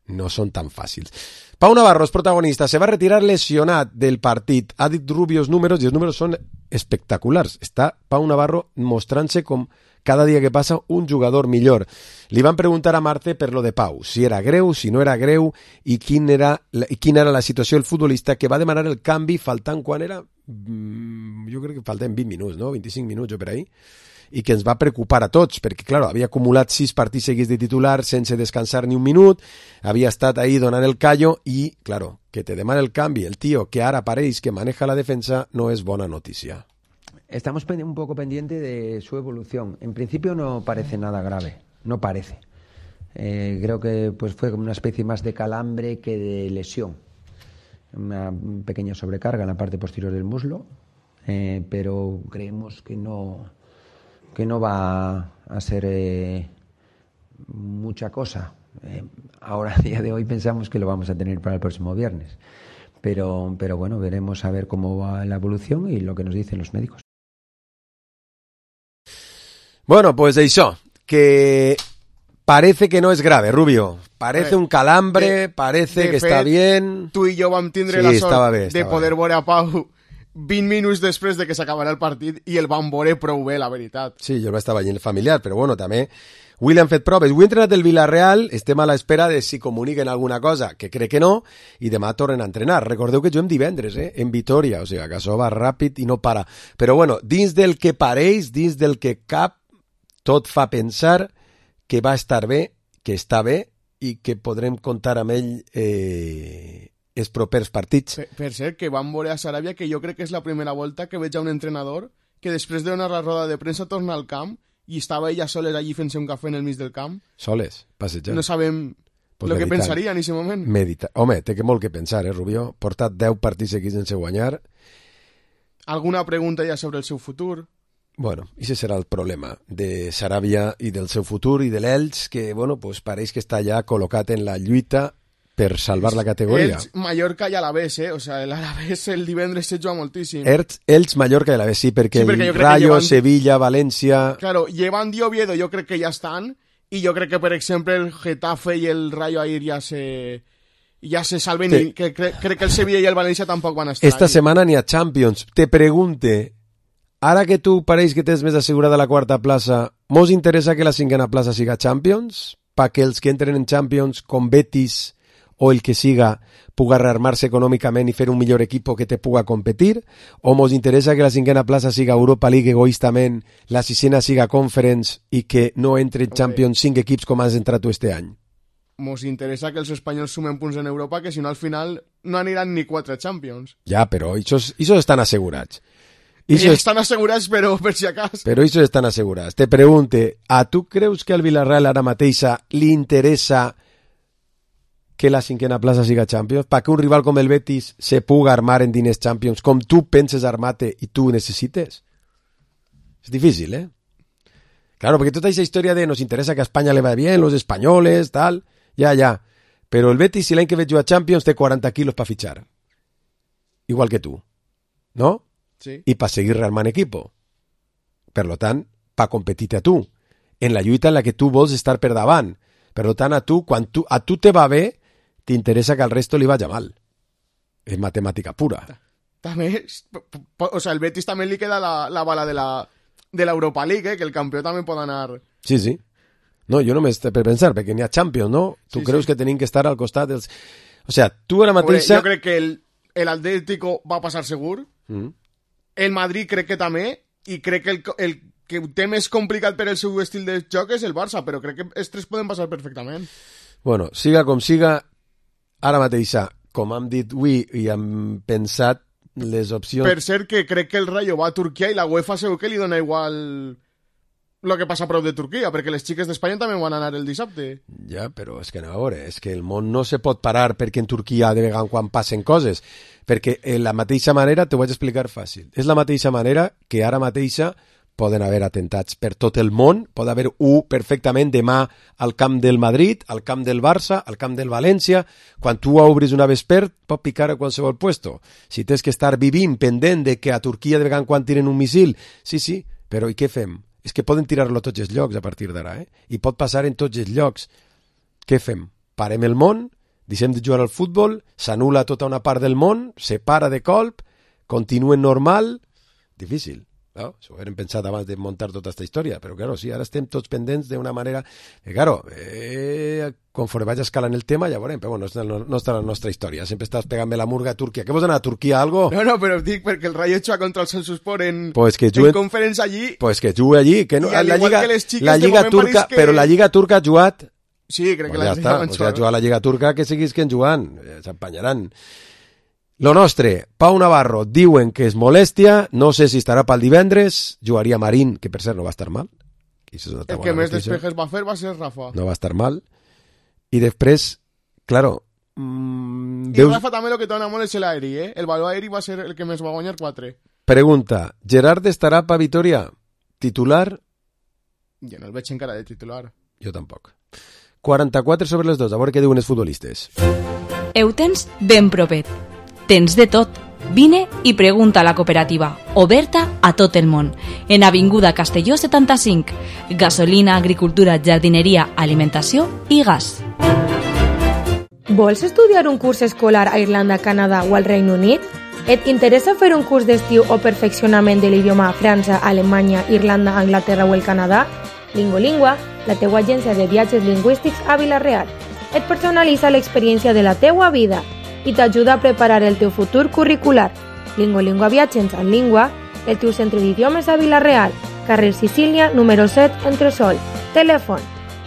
No són tan fàcils. Pau Navarro és protagonista, se va retirar lesionat del partit. Ha dit Rubio els números i els números són espectaculars. Està Pau Navarro mostrant-se com cada dia que passa un jugador millor. Li van preguntar a Marte per lo de Pau, si era greu, si no era greu i quina era la situació del futbolista que va demanar el canvi faltant quan era... jo crec que falten 20 minuts, no? 25 minuts o per ahí. I que ens va preocupar a tots, perquè, claro, havia acumulat 6 partits seguits de titular sense descansar ni un minut, havia estat ahí donant el callo i, claro, que te demana el canvi el tío que ara pareix que maneja la defensa no és bona notícia. Estamos un poco pendientes de su evolución. En principio no parece nada grave, no parece. Creo que pues fue como una especie más de calambre que de lesión. Una pequeña sobrecarga en la parte posterior del muslo, pero creemos que no va a ser mucha cosa. Ahora, a día de hoy, pensamos que lo vamos a tener para el próximo viernes. Pero bueno, veremos a ver cómo va la evolución y lo que nos dicen los médicos. Bueno, pues això, que parece que no es grave, Rubio. Parece un calambre, parece que està bien. Tu i jo vam tindre la sort de poder veure a Pau 20 minuts després de que s'acabarà el partit i el vam veure prou bé, la veritat. Sí, jo el vaig estar veient familiar, però bueno, també avui l'han fet proves. Avui entrenat el Villarreal, estem a l'espera de si comuniquen alguna cosa, que crec que no, i demà tornen a entrenar. Recordeu que juguem divendres, en Vitoria, o sigui que això va ràpid i no para. Però bueno, dins del que pareix, dins del que cap, tot fa pensar que va estar bé, que està bé i que podrem comptar amb ell els propers partits. Per cert, que vam veure a Saràbia que jo crec que és la primera volta que veig a un entrenador que després de donar la roda de premsa torna al camp i estava ella soles allí fent-se un cafè en el mig del camp. Soles, passejant. No sabem pues el que pensaria en aquest moment. Home, té que molt que pensar, Rubió? Portat 10 partits seguits sense guanyar. Alguna pregunta ja sobre el seu futur? Bueno, ese serà el problema de Saràbia i del seu futur i de l'Elx, que, bueno, pues pareix que està ja col·locat en la lluita per salvar la categoria. Elx, Mallorca i Alavés, O sea, l'Alavés el divendres se juga moltíssim. Elx, Mallorca i Alavés, sí, perquè el Rayo, Sevilla, València... Claro, Llevant i Oviedo jo crec que ja estan, i jo crec que, per exemple, el Getafe i el Rayo Air ja se salven, Sí. i que crec que el Sevilla i el València tampoc van estar Esta ahí. setmana n'hi ha Champions. Te pregunte, ara que tu pareix que tens més assegurada la quarta plaça, mos interessa que la cinquena plaça siga Champions? Perquè els que entren en Champions, com Betis o el que siga, puga rearmar-se econòmicament i fer un millor equip que te puga competir? O mos interessa que la cinquena plaça siga Europa League egoístament, la sisena siga Conference i que no entre en Champions 5 equips com has entrat tu este any? Mos interessa que els espanyols sumen punts en Europa, que si no al final no aniran ni 4 Champions. Ja, però això estan assegurats. Ja estan assegurats, però per si acas. Però això estan assegurats. Te pregunte, a tu creus que al Villarreal ara mateixa li interessa que la cinquena plaça siga Champions? Perquè un rival com el Betis se puga armar en diners Champions com tu penses armar-te i tu necessites? És difícil, ¿eh? Claro, porque toda esa historia de nos interesa que a España le vaya bien, los españoles, tal, ya. Pero el Betis, si l'any que veig jo a Champions, té 40 quilos para fichar. Igual que tu, ¿no? Sí. I per seguir rearmant equipo. Per lo tant, per competir a tu, en la lluita en la que tu vols estar per davant. Per lo tant, quan a tu te va bé, t'interessa que al resto li vaya mal. És matemàtica pura. També, o sea, el Betis també li queda la bala de l'Europa League, que el campió també pot anar... Sí. No, jo només per pensar, perquè n'hi ha Champions, no? Tu creus que tenim que estar al costat dels... O sea, tu ara mateixa... Jo crec que el Atlético va passar segur, el Madrid crec que també, i crec que el que ho té més complicat per el seu estil de joc és el Barça, però crec que els tres poden passar perfectament. Bueno, siga com siga, ara mateixa, com hem dit avui i hem pensat les opcions... Per cert, que crec que el Rayo va a Turquia i la UEFA segur que li dona igual lo que passa a prop de Turquia, perquè les xiques d'Espanya també van anar el dissabte. Ja, però és que a veure, és que el món no se pot parar perquè en Turquia de vegades quan passen coses, perquè la mateixa manera, t'ho vaig explicar fàcil, és la mateixa manera que ara mateixa poden haver atentats per tot el món, pot haver perfectament demà al camp del Madrid, al camp del Barça, al camp del València. Quan tu obris una vesper, pot picar a qualsevol puesto. Si tens que estar vivint pendent de que a Turquia de vegades quan tiren un missil, sí, però i què fem? És que poden tirar-lo a tots els llocs a partir d'ara, i pot passar en tots els llocs. Què fem? Parem el món, deixem de jugar al futbol, s'anul·la tota una part del món, se para de colp, continuen normal... Difícil. No? S'ho haurem pensat abans de muntar tota aquesta història, però claro, sí, ara estem tots pendents d'una manera... Claro, conforme vaig escalant el tema ja veurem, però bueno, no està la nostra història, sempre estàs pegant-me la murga a Turquia. Què vols anar a Turquia, algo? No, però dic perquè el Rayo juga contra el Celsuspor en Conference allí... Pues que jugui allí, que no, la Lliga turca, però la Lliga turca ha jugat... Sí, crec que ja està, o sigui, ha jugat la Lliga turca, que seguís que en jugant, s'empanyaran. Lo nostre, Pau Navarro, diuen que és molèstia, no sé si estarà pel divendres, jugaria Marín, que per cert no va estar mal. El que més despejes va fer va ser Rafa. No va estar mal. I després, claro... I Rafa també el que té una molt és l'aeri, El valor aeri va ser el que més va guanyar 4. Pregunta, Gerard estarà pa Vitoria? Titular? Jo no el veig encara de titular. Jo tampoc. 44 sobre les 2, a veure què diuen els futbolistes. Ho tens ben propet. Tens de tot. Vine i pregunta a la cooperativa, oberta a tot el món. En Avinguda Castelló 75. Gasolina, agricultura, jardineria, alimentació i gas. Vols estudiar un curs escolar a Irlanda, Canadà o al Regne Unit? Et interessa fer un curs d'estiu o perfeccionament de l'idioma a França, Alemanya, Irlanda, Anglaterra o el Canadà? Lingolingua, la teua agència de viatges lingüístics a Vila-real. Et personalitza l'experiència de la teua vida i t'ajuda a preparar el teu futur curricular. Lingolingua Viatges en Língua, el teu centre d'idiomes a Vila-real, carrer Sicília, número 7, Entresol. Telèfon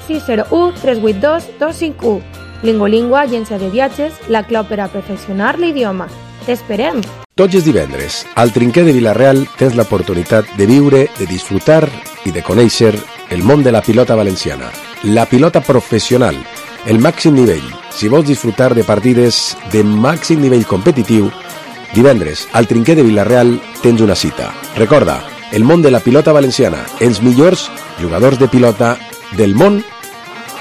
601-382-251. Lingolingua, agència de viatges, la clau per a perfeccionar l'idioma. T'esperem! Tots els divendres, al Trinquer de Vila-real tens l'oportunitat de viure, de disfrutar i de conèixer el món de la pilota valenciana. La pilota professional, el màxim nivell. Si vols disfrutar de partides de màxim nivell competitiu, divendres, al Trinquer de Vila-real tens una cita. Recorda, el món de la pilota valenciana, els millors jugadors de pilota del món,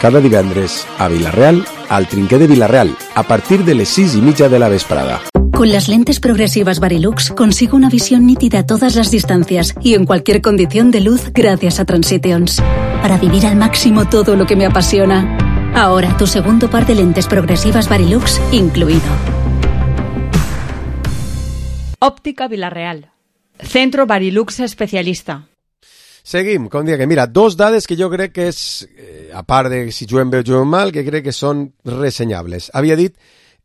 cada divendres a Vila-real, al Trinquer de Vila-real, a partir de les 6:30 de la vesprada. Con las lentes progresivas Varilux consigo una visión nítida a todas las distancias y en cualquier condición de luz gracias a Transitions. Para vivir al máximo todo lo que me apasiona. Ahora tu segundo par de lentes progresivas Varilux incluido. Òptica Vila-real. Centro Varilux especialista. Seguim, com dia que mira, dos dades que jo crec que és, a part de si juguem bé o juguem mal, que crec que són ressenyables. Havia dit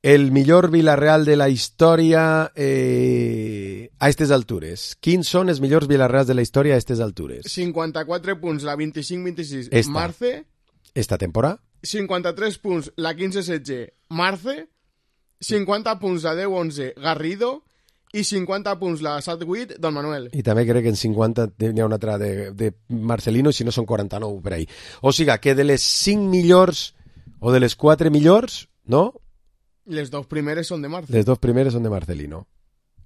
el millor Vila-real de la història a aquestes altures. Quins són els millors Vila-reals de la història a aquestes altures? 54 punts la 25-26 Marce. Esta temporada. 53 punts la 15-16 Marce. 50 punts la 10-11 Garrido. I 50 punts la 7-8 Don Manuel. I també crec que en 50 n'hi ha una altra de Marcelino, i si no són 49 per ahí. O sigui, que de les 5 millors o de les 4 millors, no? Les dos primeres són de Marce. Les dos primeres són de Marcelino.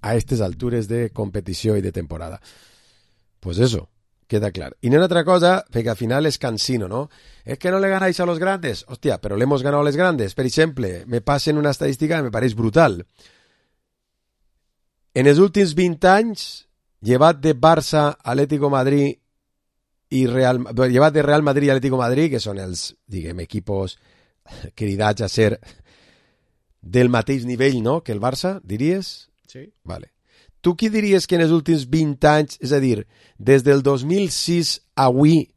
A aquestes altures de competició i de temporada. Pues eso, queda clar. I no hi ha otra cosa, perquè al final és cansino, ¿no? Es que no le ganáis a los grandes. Hostia, pero le hemos ganado a los grandes. Per exemple, me passen una estadística que me pareix brutal. En els últims 20 anys, llevat de Barça, Atlético Madrid i llevat de Real Madrid i Atlético Madrid, que són els, diguem, equipos cridats a ser del mateix nivell, no?, que el Barça, diries? Sí. Vale. Tu qui diries que en els últims 20 anys, és a dir, des del 2006 a avui,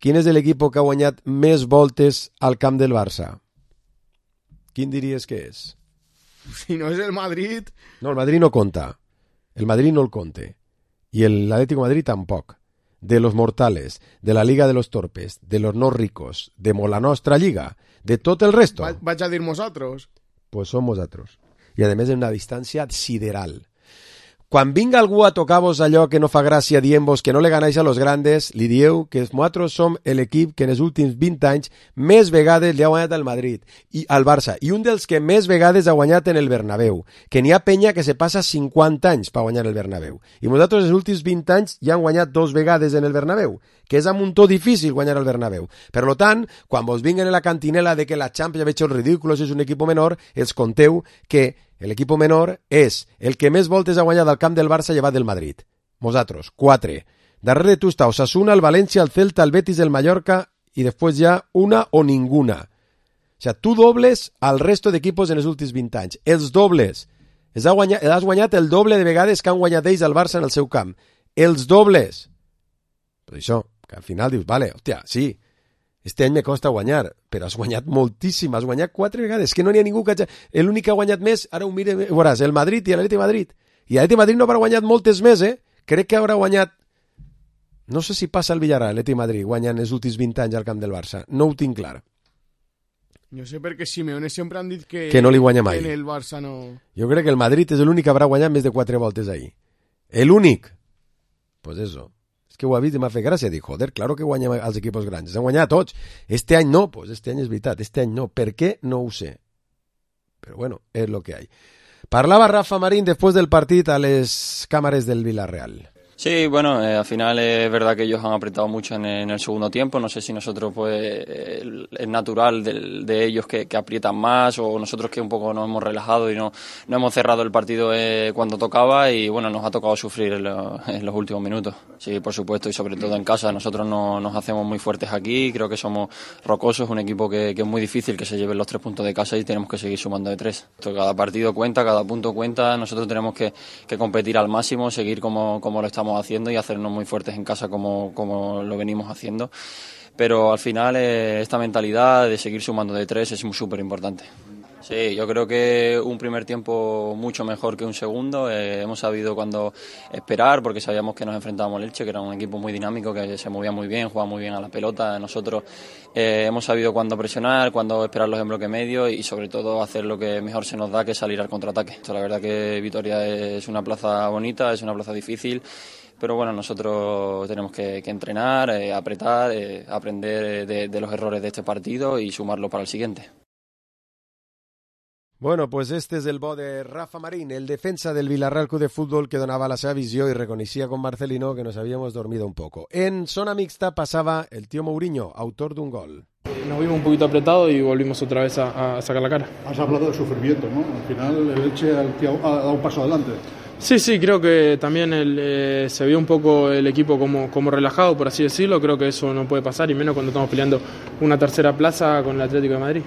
quin és l'equip que ha guanyat més voltes al camp del Barça? Quin diries que és? Si no és el Madrid... No, el Madrid no compta. El Madrid no el compte. Y el Atlético de Madrid tampoc. De los mortales, de la Liga de los Torpes, de los no ricos, de la nostra Lliga, de tot el resto. Vaig a dir nosaltres. Pues som nosaltres. I a més en una distància sideral. Quan vinga algú a tocar-vos allò que no fa gràcia dient-vos que no le ganáis a los grandes, li dieu que nosaltres som l'equip que en els últims 20 anys més vegades li ha guanyat al Madrid i al Barça, i un dels que més vegades ha guanyat en el Bernabéu, que n'hi ha penya que se passa 50 anys per guanyar el Bernabéu. I nosaltres els últims 20 anys ja han guanyat 2 vegades en el Bernabéu, que és a muntó difícil guanyar el Bernabéu. Per tant, quan vos vinguen en la cantinela de que la Champions ha hecho el ridículo, és un equip menor, els conteu que l'equip menor és el que més voltes ha guanyat al camp del Barça llevat del Madrid. Nosaltres, 4. Darrere tu està Osasuna, el València, el Celta, el Betis, el Mallorca i després ja una o ninguna. O sigui, tu dobles al resto d'equipos en els últims 20 anys. Els dobles. Has guanyat el doble de vegades que han guanyat ells al Barça en el seu camp. Els dobles. Però això, que al final dius, vale, hòstia, sí, este any me costa guanyar, però has guanyat moltíssim, has guanyat 4 vegades, que no n'hi ha ningú que... L'únic que ha guanyat més, ara ho mire, veuràs, el Madrid i l'Atlètic Madrid. I l'Atlètic Madrid no haurà guanyat moltes més, Crec que haurà guanyat... No sé si passa el Villarreal, l'Atlètic Madrid, guanyant els últims 20 anys al camp del Barça. No ho tinc clar. Jo sé perquè Simeone sempre han dit que no li guanya mai. Que en el Barça no... Jo crec que el Madrid és l'únic que haurà guanyat més de 4 voltes ahir. L'únic. Pues eso. És que ho ha vist i m'ha fet gràcia. Dic, joder, claro que guanyem als equipos grans. Han guanyat tots. Este any no, pues este any és veritat. Este any no. Per què? No ho sé. Però bueno, és lo que hay. Parlava Rafa Marín después del partit a les càmeres del Villarreal. Sí, bueno, al final es verdad que ellos han apretado mucho en el segundo tiempo. No sé si nosotros, pues, es natural de ellos que aprietan más, o nosotros que un poco nos hemos relajado y no hemos cerrado el partido cuando tocaba, y bueno, nos ha tocado sufrir en los últimos minutos. Sí, por supuesto, y sobre todo en casa. Nosotros nos hacemos muy fuertes aquí, creo que somos rocosos, un equipo que es muy difícil que se lleven los 3 puntos de casa y tenemos que seguir sumando de 3. Cada partido cuenta, cada punto cuenta, nosotros tenemos que competir al máximo, seguir como lo estamos haciendo y hacernos muy fuertes en casa como lo venimos haciendo, pero al final esta mentalidad de seguir sumando de 3 es súper importante. Sí, yo creo que un primer tiempo mucho mejor que un segundo. Hemos sabido cuándo esperar, porque sabíamos que nos enfrentábamos al Elche, que era un equipo muy dinámico, que se movía muy bien, jugaba muy bien a la pelota. Nosotros hemos sabido cuándo presionar, cuándo esperarlos en bloque medio y sobre todo hacer lo que mejor se nos da, que es salir al contraataque. La verdad que Vitoria es una plaza bonita, es una plaza difícil, pero bueno, nosotros tenemos que entrenar, apretar, aprender de los errores de este partido y sumarlo para el siguiente. Bueno, pues este és el bo de Rafa Marín, el defensa del Villarreal Club de Fútbol, que donava la seva visió i reconeixia con Marcelino que nos habíamos dormido un poco. En zona mixta passava el tío Mourinho, autor d'un gol. nos vimos un poquito apretados y volvimos otra vez a sacar la cara. Has hablado de sufrimiento, ¿no? Al final el Elche ha dado un paso adelante. Sí, creo que también se vio un poco el equipo como relajado, por así decirlo. Creo que eso no puede pasar, y menos cuando estamos peleando una tercera plaza con el Atlético de Madrid.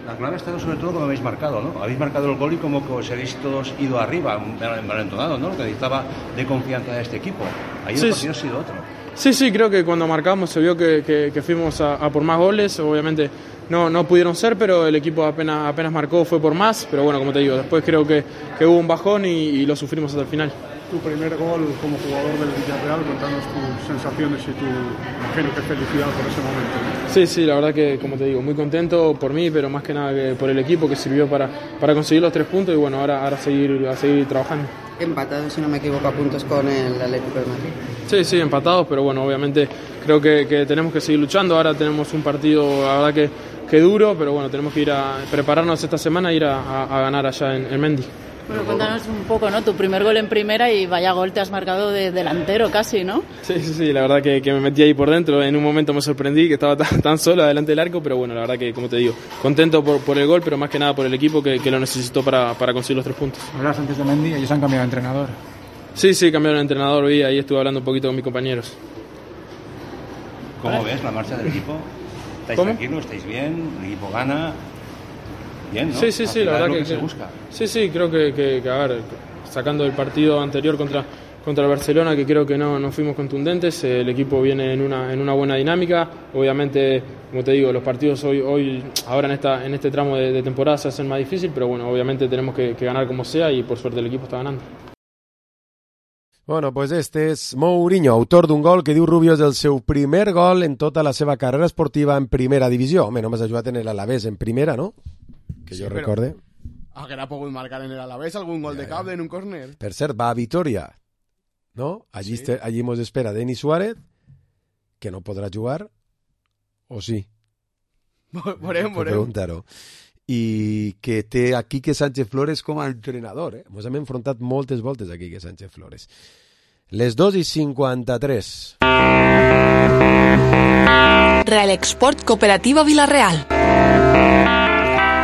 La clave ha estado sobre todo como habéis marcado, ¿no? Habéis marcado el gol y como que os habéis todos ido arriba, envalentonado, ¿no? Lo que necesitaba de confianza de este equipo. Ahí el partido ha sido otro. Sí, creo que cuando marcamos se vio que fuimos a por más goles. Obviamente no pudieron ser, pero el equipo apenas marcó, fue por más. Pero bueno, como te digo, después creo que hubo un bajón y lo sufrimos hasta el final. Tu primer gol como jugador del Villarreal, contanos tus sensaciones y tu, imagino que felicidad por ese momento, ¿no? Sí, la verdad que, como te digo, muy contento por mí, pero más que nada que por el equipo que sirvió para conseguir los 3 puntos y bueno, ahora seguir trabajando. Empatados, si no me equivoco, a puntos con el Atlético de Madrid. Sí, empatados, pero bueno, obviamente creo que tenemos que seguir luchando. Ahora tenemos un partido, la verdad que duro, pero bueno, tenemos que ir a prepararnos esta semana e ir a ganar allá en Mendy. Bueno, cuéntanos un poco, ¿no? Tu primer gol en primera y vaya gol te has marcado de delantero casi, ¿no? Sí, la verdad que me metí ahí por dentro. En un momento me sorprendí que estaba tan solo adelante del arco, pero bueno, la verdad que, como te digo, contento por el gol, pero más que nada por el equipo que lo necesitó para conseguir los 3 puntos. Hablas antes de Mendy, ellos han cambiado de entrenador. Sí, cambiaron de entrenador, ahí estuve hablando un poquito con mis compañeros. ¿Cómo ves la marcha del equipo? ¿Estáis tranquilos? ¿Estáis bien? ¿El equipo gana? Bien, ¿no? Sí, la verdad que se busca. Sí, creo que a ver, sacando el partido anterior contra el Barcelona, que creo que no fuimos contundentes, el equipo viene en una buena dinámica. Obviamente, como te digo, los partidos hoy ahora en este tramo de temporada se hacen más difícil, pero bueno, obviamente tenemos que ganar como sea y por suerte el equipo está ganando. Bueno, pues este és Mourinho, autor d'un gol que diu Rubio és el seu primer gol en tota la seva carrera esportiva en primera divisió. Home, només ha jugat en l'Alavés en primera, ¿no? Que sí, jo recorde. Haguera pogut marcar en l'Alavés algun gol de cap en un córner. Per cert, va a Vitoria, ¿no? Allí, sí. Allí mos espera Denis Suárez, que no podrà jugar, o sí? Veurem. Preguntar-ho. I que té a Quique Sánchez Flores com a entrenador. Ens hem enfrontat moltes voltes a Quique Sánchez Flores. Les 2:53. Real Export Cooperativa Villarreal.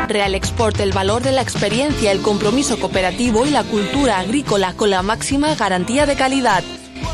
Real Export, el valor de la experiencia, el compromiso cooperativo y la cultura agrícola con la máxima garantía de calidad.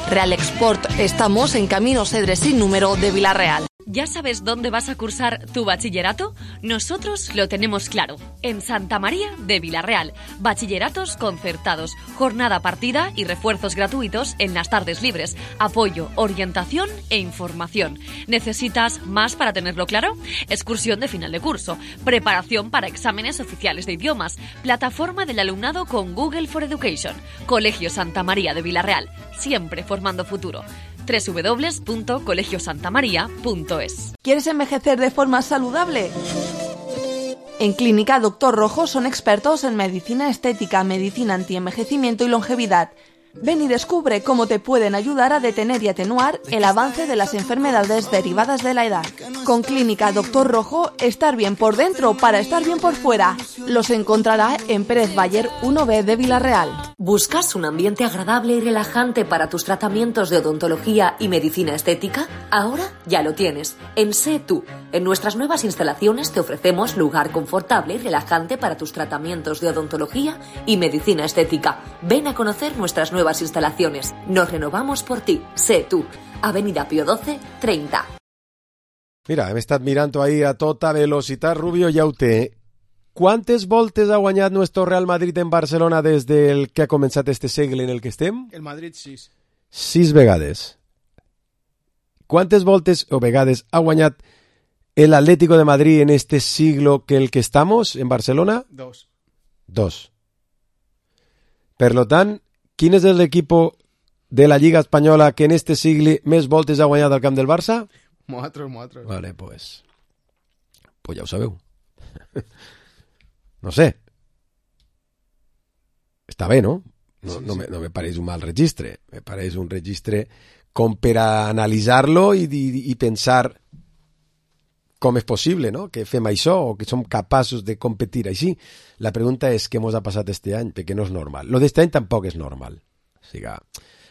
Real Export, estamos en Camino Cedres sin número de Villarreal. ¿Ya sabes dónde vas a cursar tu bachillerato? Nosotros lo tenemos claro. En Santa María de Villarreal. Bachilleratos concertados, jornada partida y refuerzos gratuitos en las tardes libres. Apoyo, orientación e información. ¿Necesitas más para tenerlo claro? Excursión de final de curso. Preparación para exámenes oficiales de idiomas. Plataforma del alumnado con Google for Education. Colegio Santa María de Villarreal. Siempre formando futuro. www.colegiosantamaria.es. ¿Quieres envejecer de forma saludable? En Clínica Dr. Rojo son expertos en medicina estética, medicina antienvejecimiento y longevidad. Ven y descubre cómo te pueden ayudar a detener y atenuar el avance de las enfermedades derivadas de la edad. Con Clínica Dr. Rojo, estar bien por dentro para estar bien por fuera. Los encontrará en Pérez Bayer 1B de Villarreal. ¿Buscas un ambiente agradable y relajante para tus tratamientos de odontología y medicina estética? Ahora ya lo tienes. En Sé Tú. En nuestras nuevas instalaciones te ofrecemos lugar confortable y relajante para tus tratamientos de odontología y medicina estética. Ven a conocer nuestras nuevas instalaciones. Nos renovamos por ti. Sé Tú. Avenida Pío XII, 30. Mira, hem estat mirant ahí a tota velocitat. Rubio ja ho té. Quantes voltes ha guanyat nuestro Real Madrid en Barcelona des del que ha començat este segle en el que estem? El Madrid 6. 6 vegades. Quantes voltes o vegades ha guanyat el Atlético de Madrid en este siglo que el que estamos en Barcelona? 2. 2. Per lo tant, quin és l'equip de la Lliga Espanyola que en este sigle més voltes ha guanyat al camp del Barça? Nosaltres. Vale, pues ja ho sabeu. No sé. Està bé, no? No me pareix un mal registre. Me pareix un registre com per a analitzar-lo i pensar com és possible, no? Que fem això o que som capaços de competir així. La pregunta és què mos ha passat este any, perquè no és normal. Lo d'este any tampoc és normal. O sigui,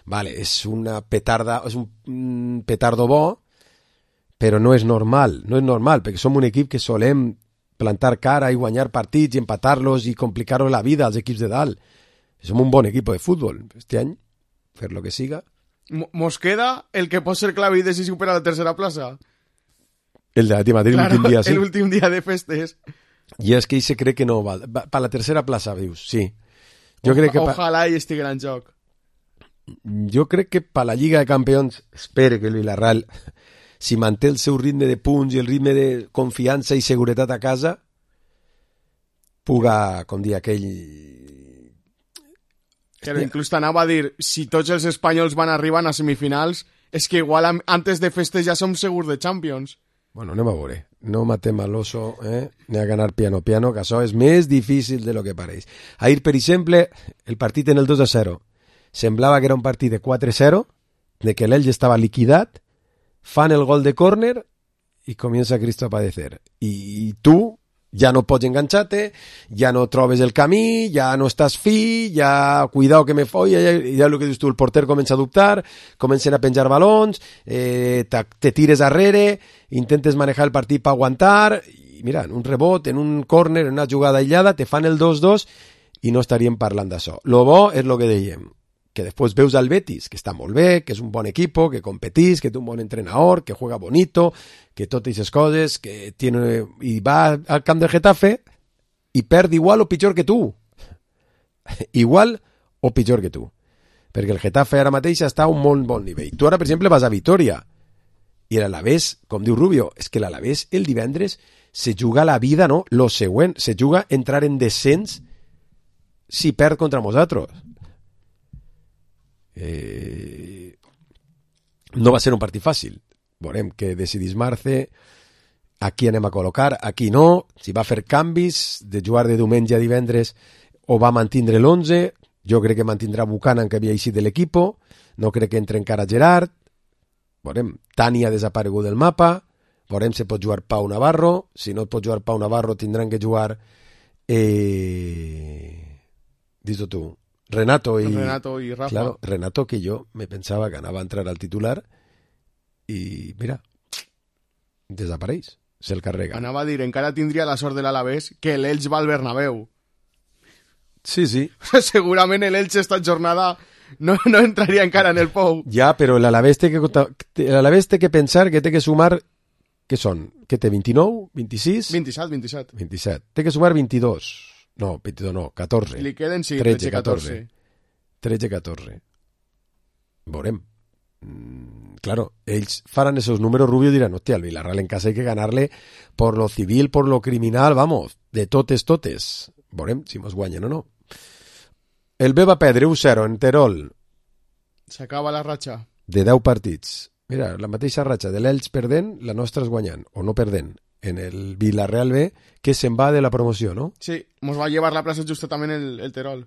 vale, és una petarda, és un petardo bo, però no és normal, perquè som un equip que solem plantar cara i guanyar partits i empatar-los i complicar-los la vida als equips de dalt. Som un bon equip de futbol. Este any, fer lo que siga. Mos queda el que pot ser clave i decisiu per a la tercera plaça. El de l'Atlètic Madrid, claro, l'últim dia, sí. L'últim dia de festes. I és que ell se cree que no val. Per la tercera plaça, vius, sí. Jo crec que ojalà hi estigui en joc. Jo crec que per la Lliga de Campions espero que el Villarreal, si manté el seu ritme de punts i el ritme de confiança i seguretat a casa, puga, com dir aquell... Que inclús t'anava a dir, si tots els espanyols van arribar a semifinals, és que igual antes de festes ja som segurs de Champions. Bueno, anem a veure. No matem a l'oso, ni a ganar piano, que això és més difícil de lo que pareix. Ahir, per exemple, el partit en el 2-0. Semblava que era un partit de 4-0, de que l'Elx estava liquidat, fan el gol de córner i comença Cristo a padecer. I tu ja no pots enganxar-te, ja no trobes el camí, ja no estàs fi, ja cuidao que me folla, ja el que dius tu, el porter comença a dubtar, comencen a penjar balons, te tires darrere, intentes manejar el partit per aguantar, i mira, en un rebot, en un córner, en una jugada aïllada, te fan el 2-2 i no estaríem parlant d'això. Lo bo és lo que dèiem, que després veus al Betis, que està molt bé, que és un bon equipo, que competís, que té un bon entrenador, que juega bonito, que totes aquestes coses, que tiene... i va al camp del Getafe i perd igual o pitjor que tu. Igual o pitjor que tu. Perquè el Getafe ara mateix està a un molt bon nivell. Tu ara, per exemple, vas a Vitoria i l'Alavés, com diu Rubio, és que l'Alavés el divendres se juga la vida, no? Lo següent, se juga entrar en descens si perd contra nosaltres. No va ser un partit fàcil. Veurem que decidís Marce, aquí anem a col·locar, aquí no, si va fer canvis de jugar de diumenge a divendres o va mantindre l'11. Jo crec que mantindrà Buchanan, que havia eixit de l'equipo, no crec que entre encara Gerard. Veurem, Tani ha desaparegut del mapa, veurem si pot jugar Pau Navarro, si no pot jugar Pau Navarro tindran que jugar dis-ho tu, Renato y Rafa. Claro, Renato, que yo me pensaba que anava a entrar al titular y mira, desapareix, se'l carrega. Anava a dir, encara tindria la sort de l'Alavés que l'Elx va al Bernabéu. Sí, sí. Segurament l'Elx esta jornada no entraria encara en el Pou. Ja, però l'Alavés té que pensar que té que sumar, què són? Què té, 29? 26? 27. Té que sumar 22. No, 22 no, 14. Li queden, sí, 13-14. 13-14. Veurem. Claro, ells faran esos números, Rubio dirán, hostia, al Villarreal en casa hay que ganarle por lo civil, por lo criminal, vamos, de totes. Veurem si mos guanyen o no. El B va perdre 1-0 en Terol. S'acaba la ratxa. De 10 partits. Mira, la mateixa ratxa de l'Elx perdent, la nostra és guanyant, o no perdent, en el Villarreal B, que se'n va de la promoció, no? Sí, mos va llevar la plaça justa també el Terol.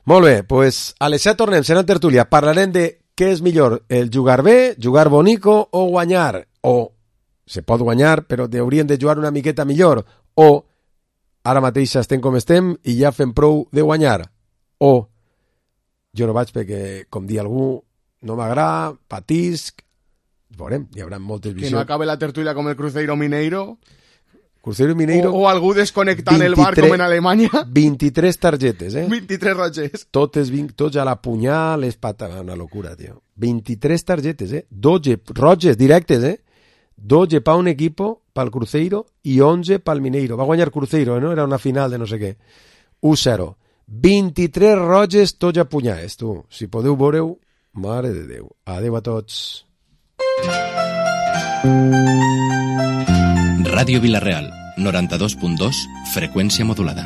Molt bé, pues a les 7 tornem, serà en tertúlia. Parlarem de què és millor, el jugar bé, jugar bonico o guanyar. O se pot guanyar, però hauríem de jugar una miqueta millor. O ara mateix estem com estem i ja fem prou de guanyar. O jo no vaig perquè, com dir algú, no m'agrada, patisc. Veurem, hi haurà moltes visions. Que no acabe la tertúlia com el Cruzeiro Mineiro. Cruzeiro Mineiro. O algú desconnectant el bar com en Alemanya. 23 targetes, 23 roges. Tots a la punyal, les patas, una locura, tio. 23 targetes, 12 roges directes, 12 pa un equipo, pel Cruzeiro, i 11 pel Mineiro. Va guanyar Cruzeiro, no? Era una final de no sé què. 1-0. 23 roges, tots a punyals, tu. Si podeu veure-ho, mare de Déu. Adéu a tots. Ràdio Vila-real, 92.2, freqüència modulada.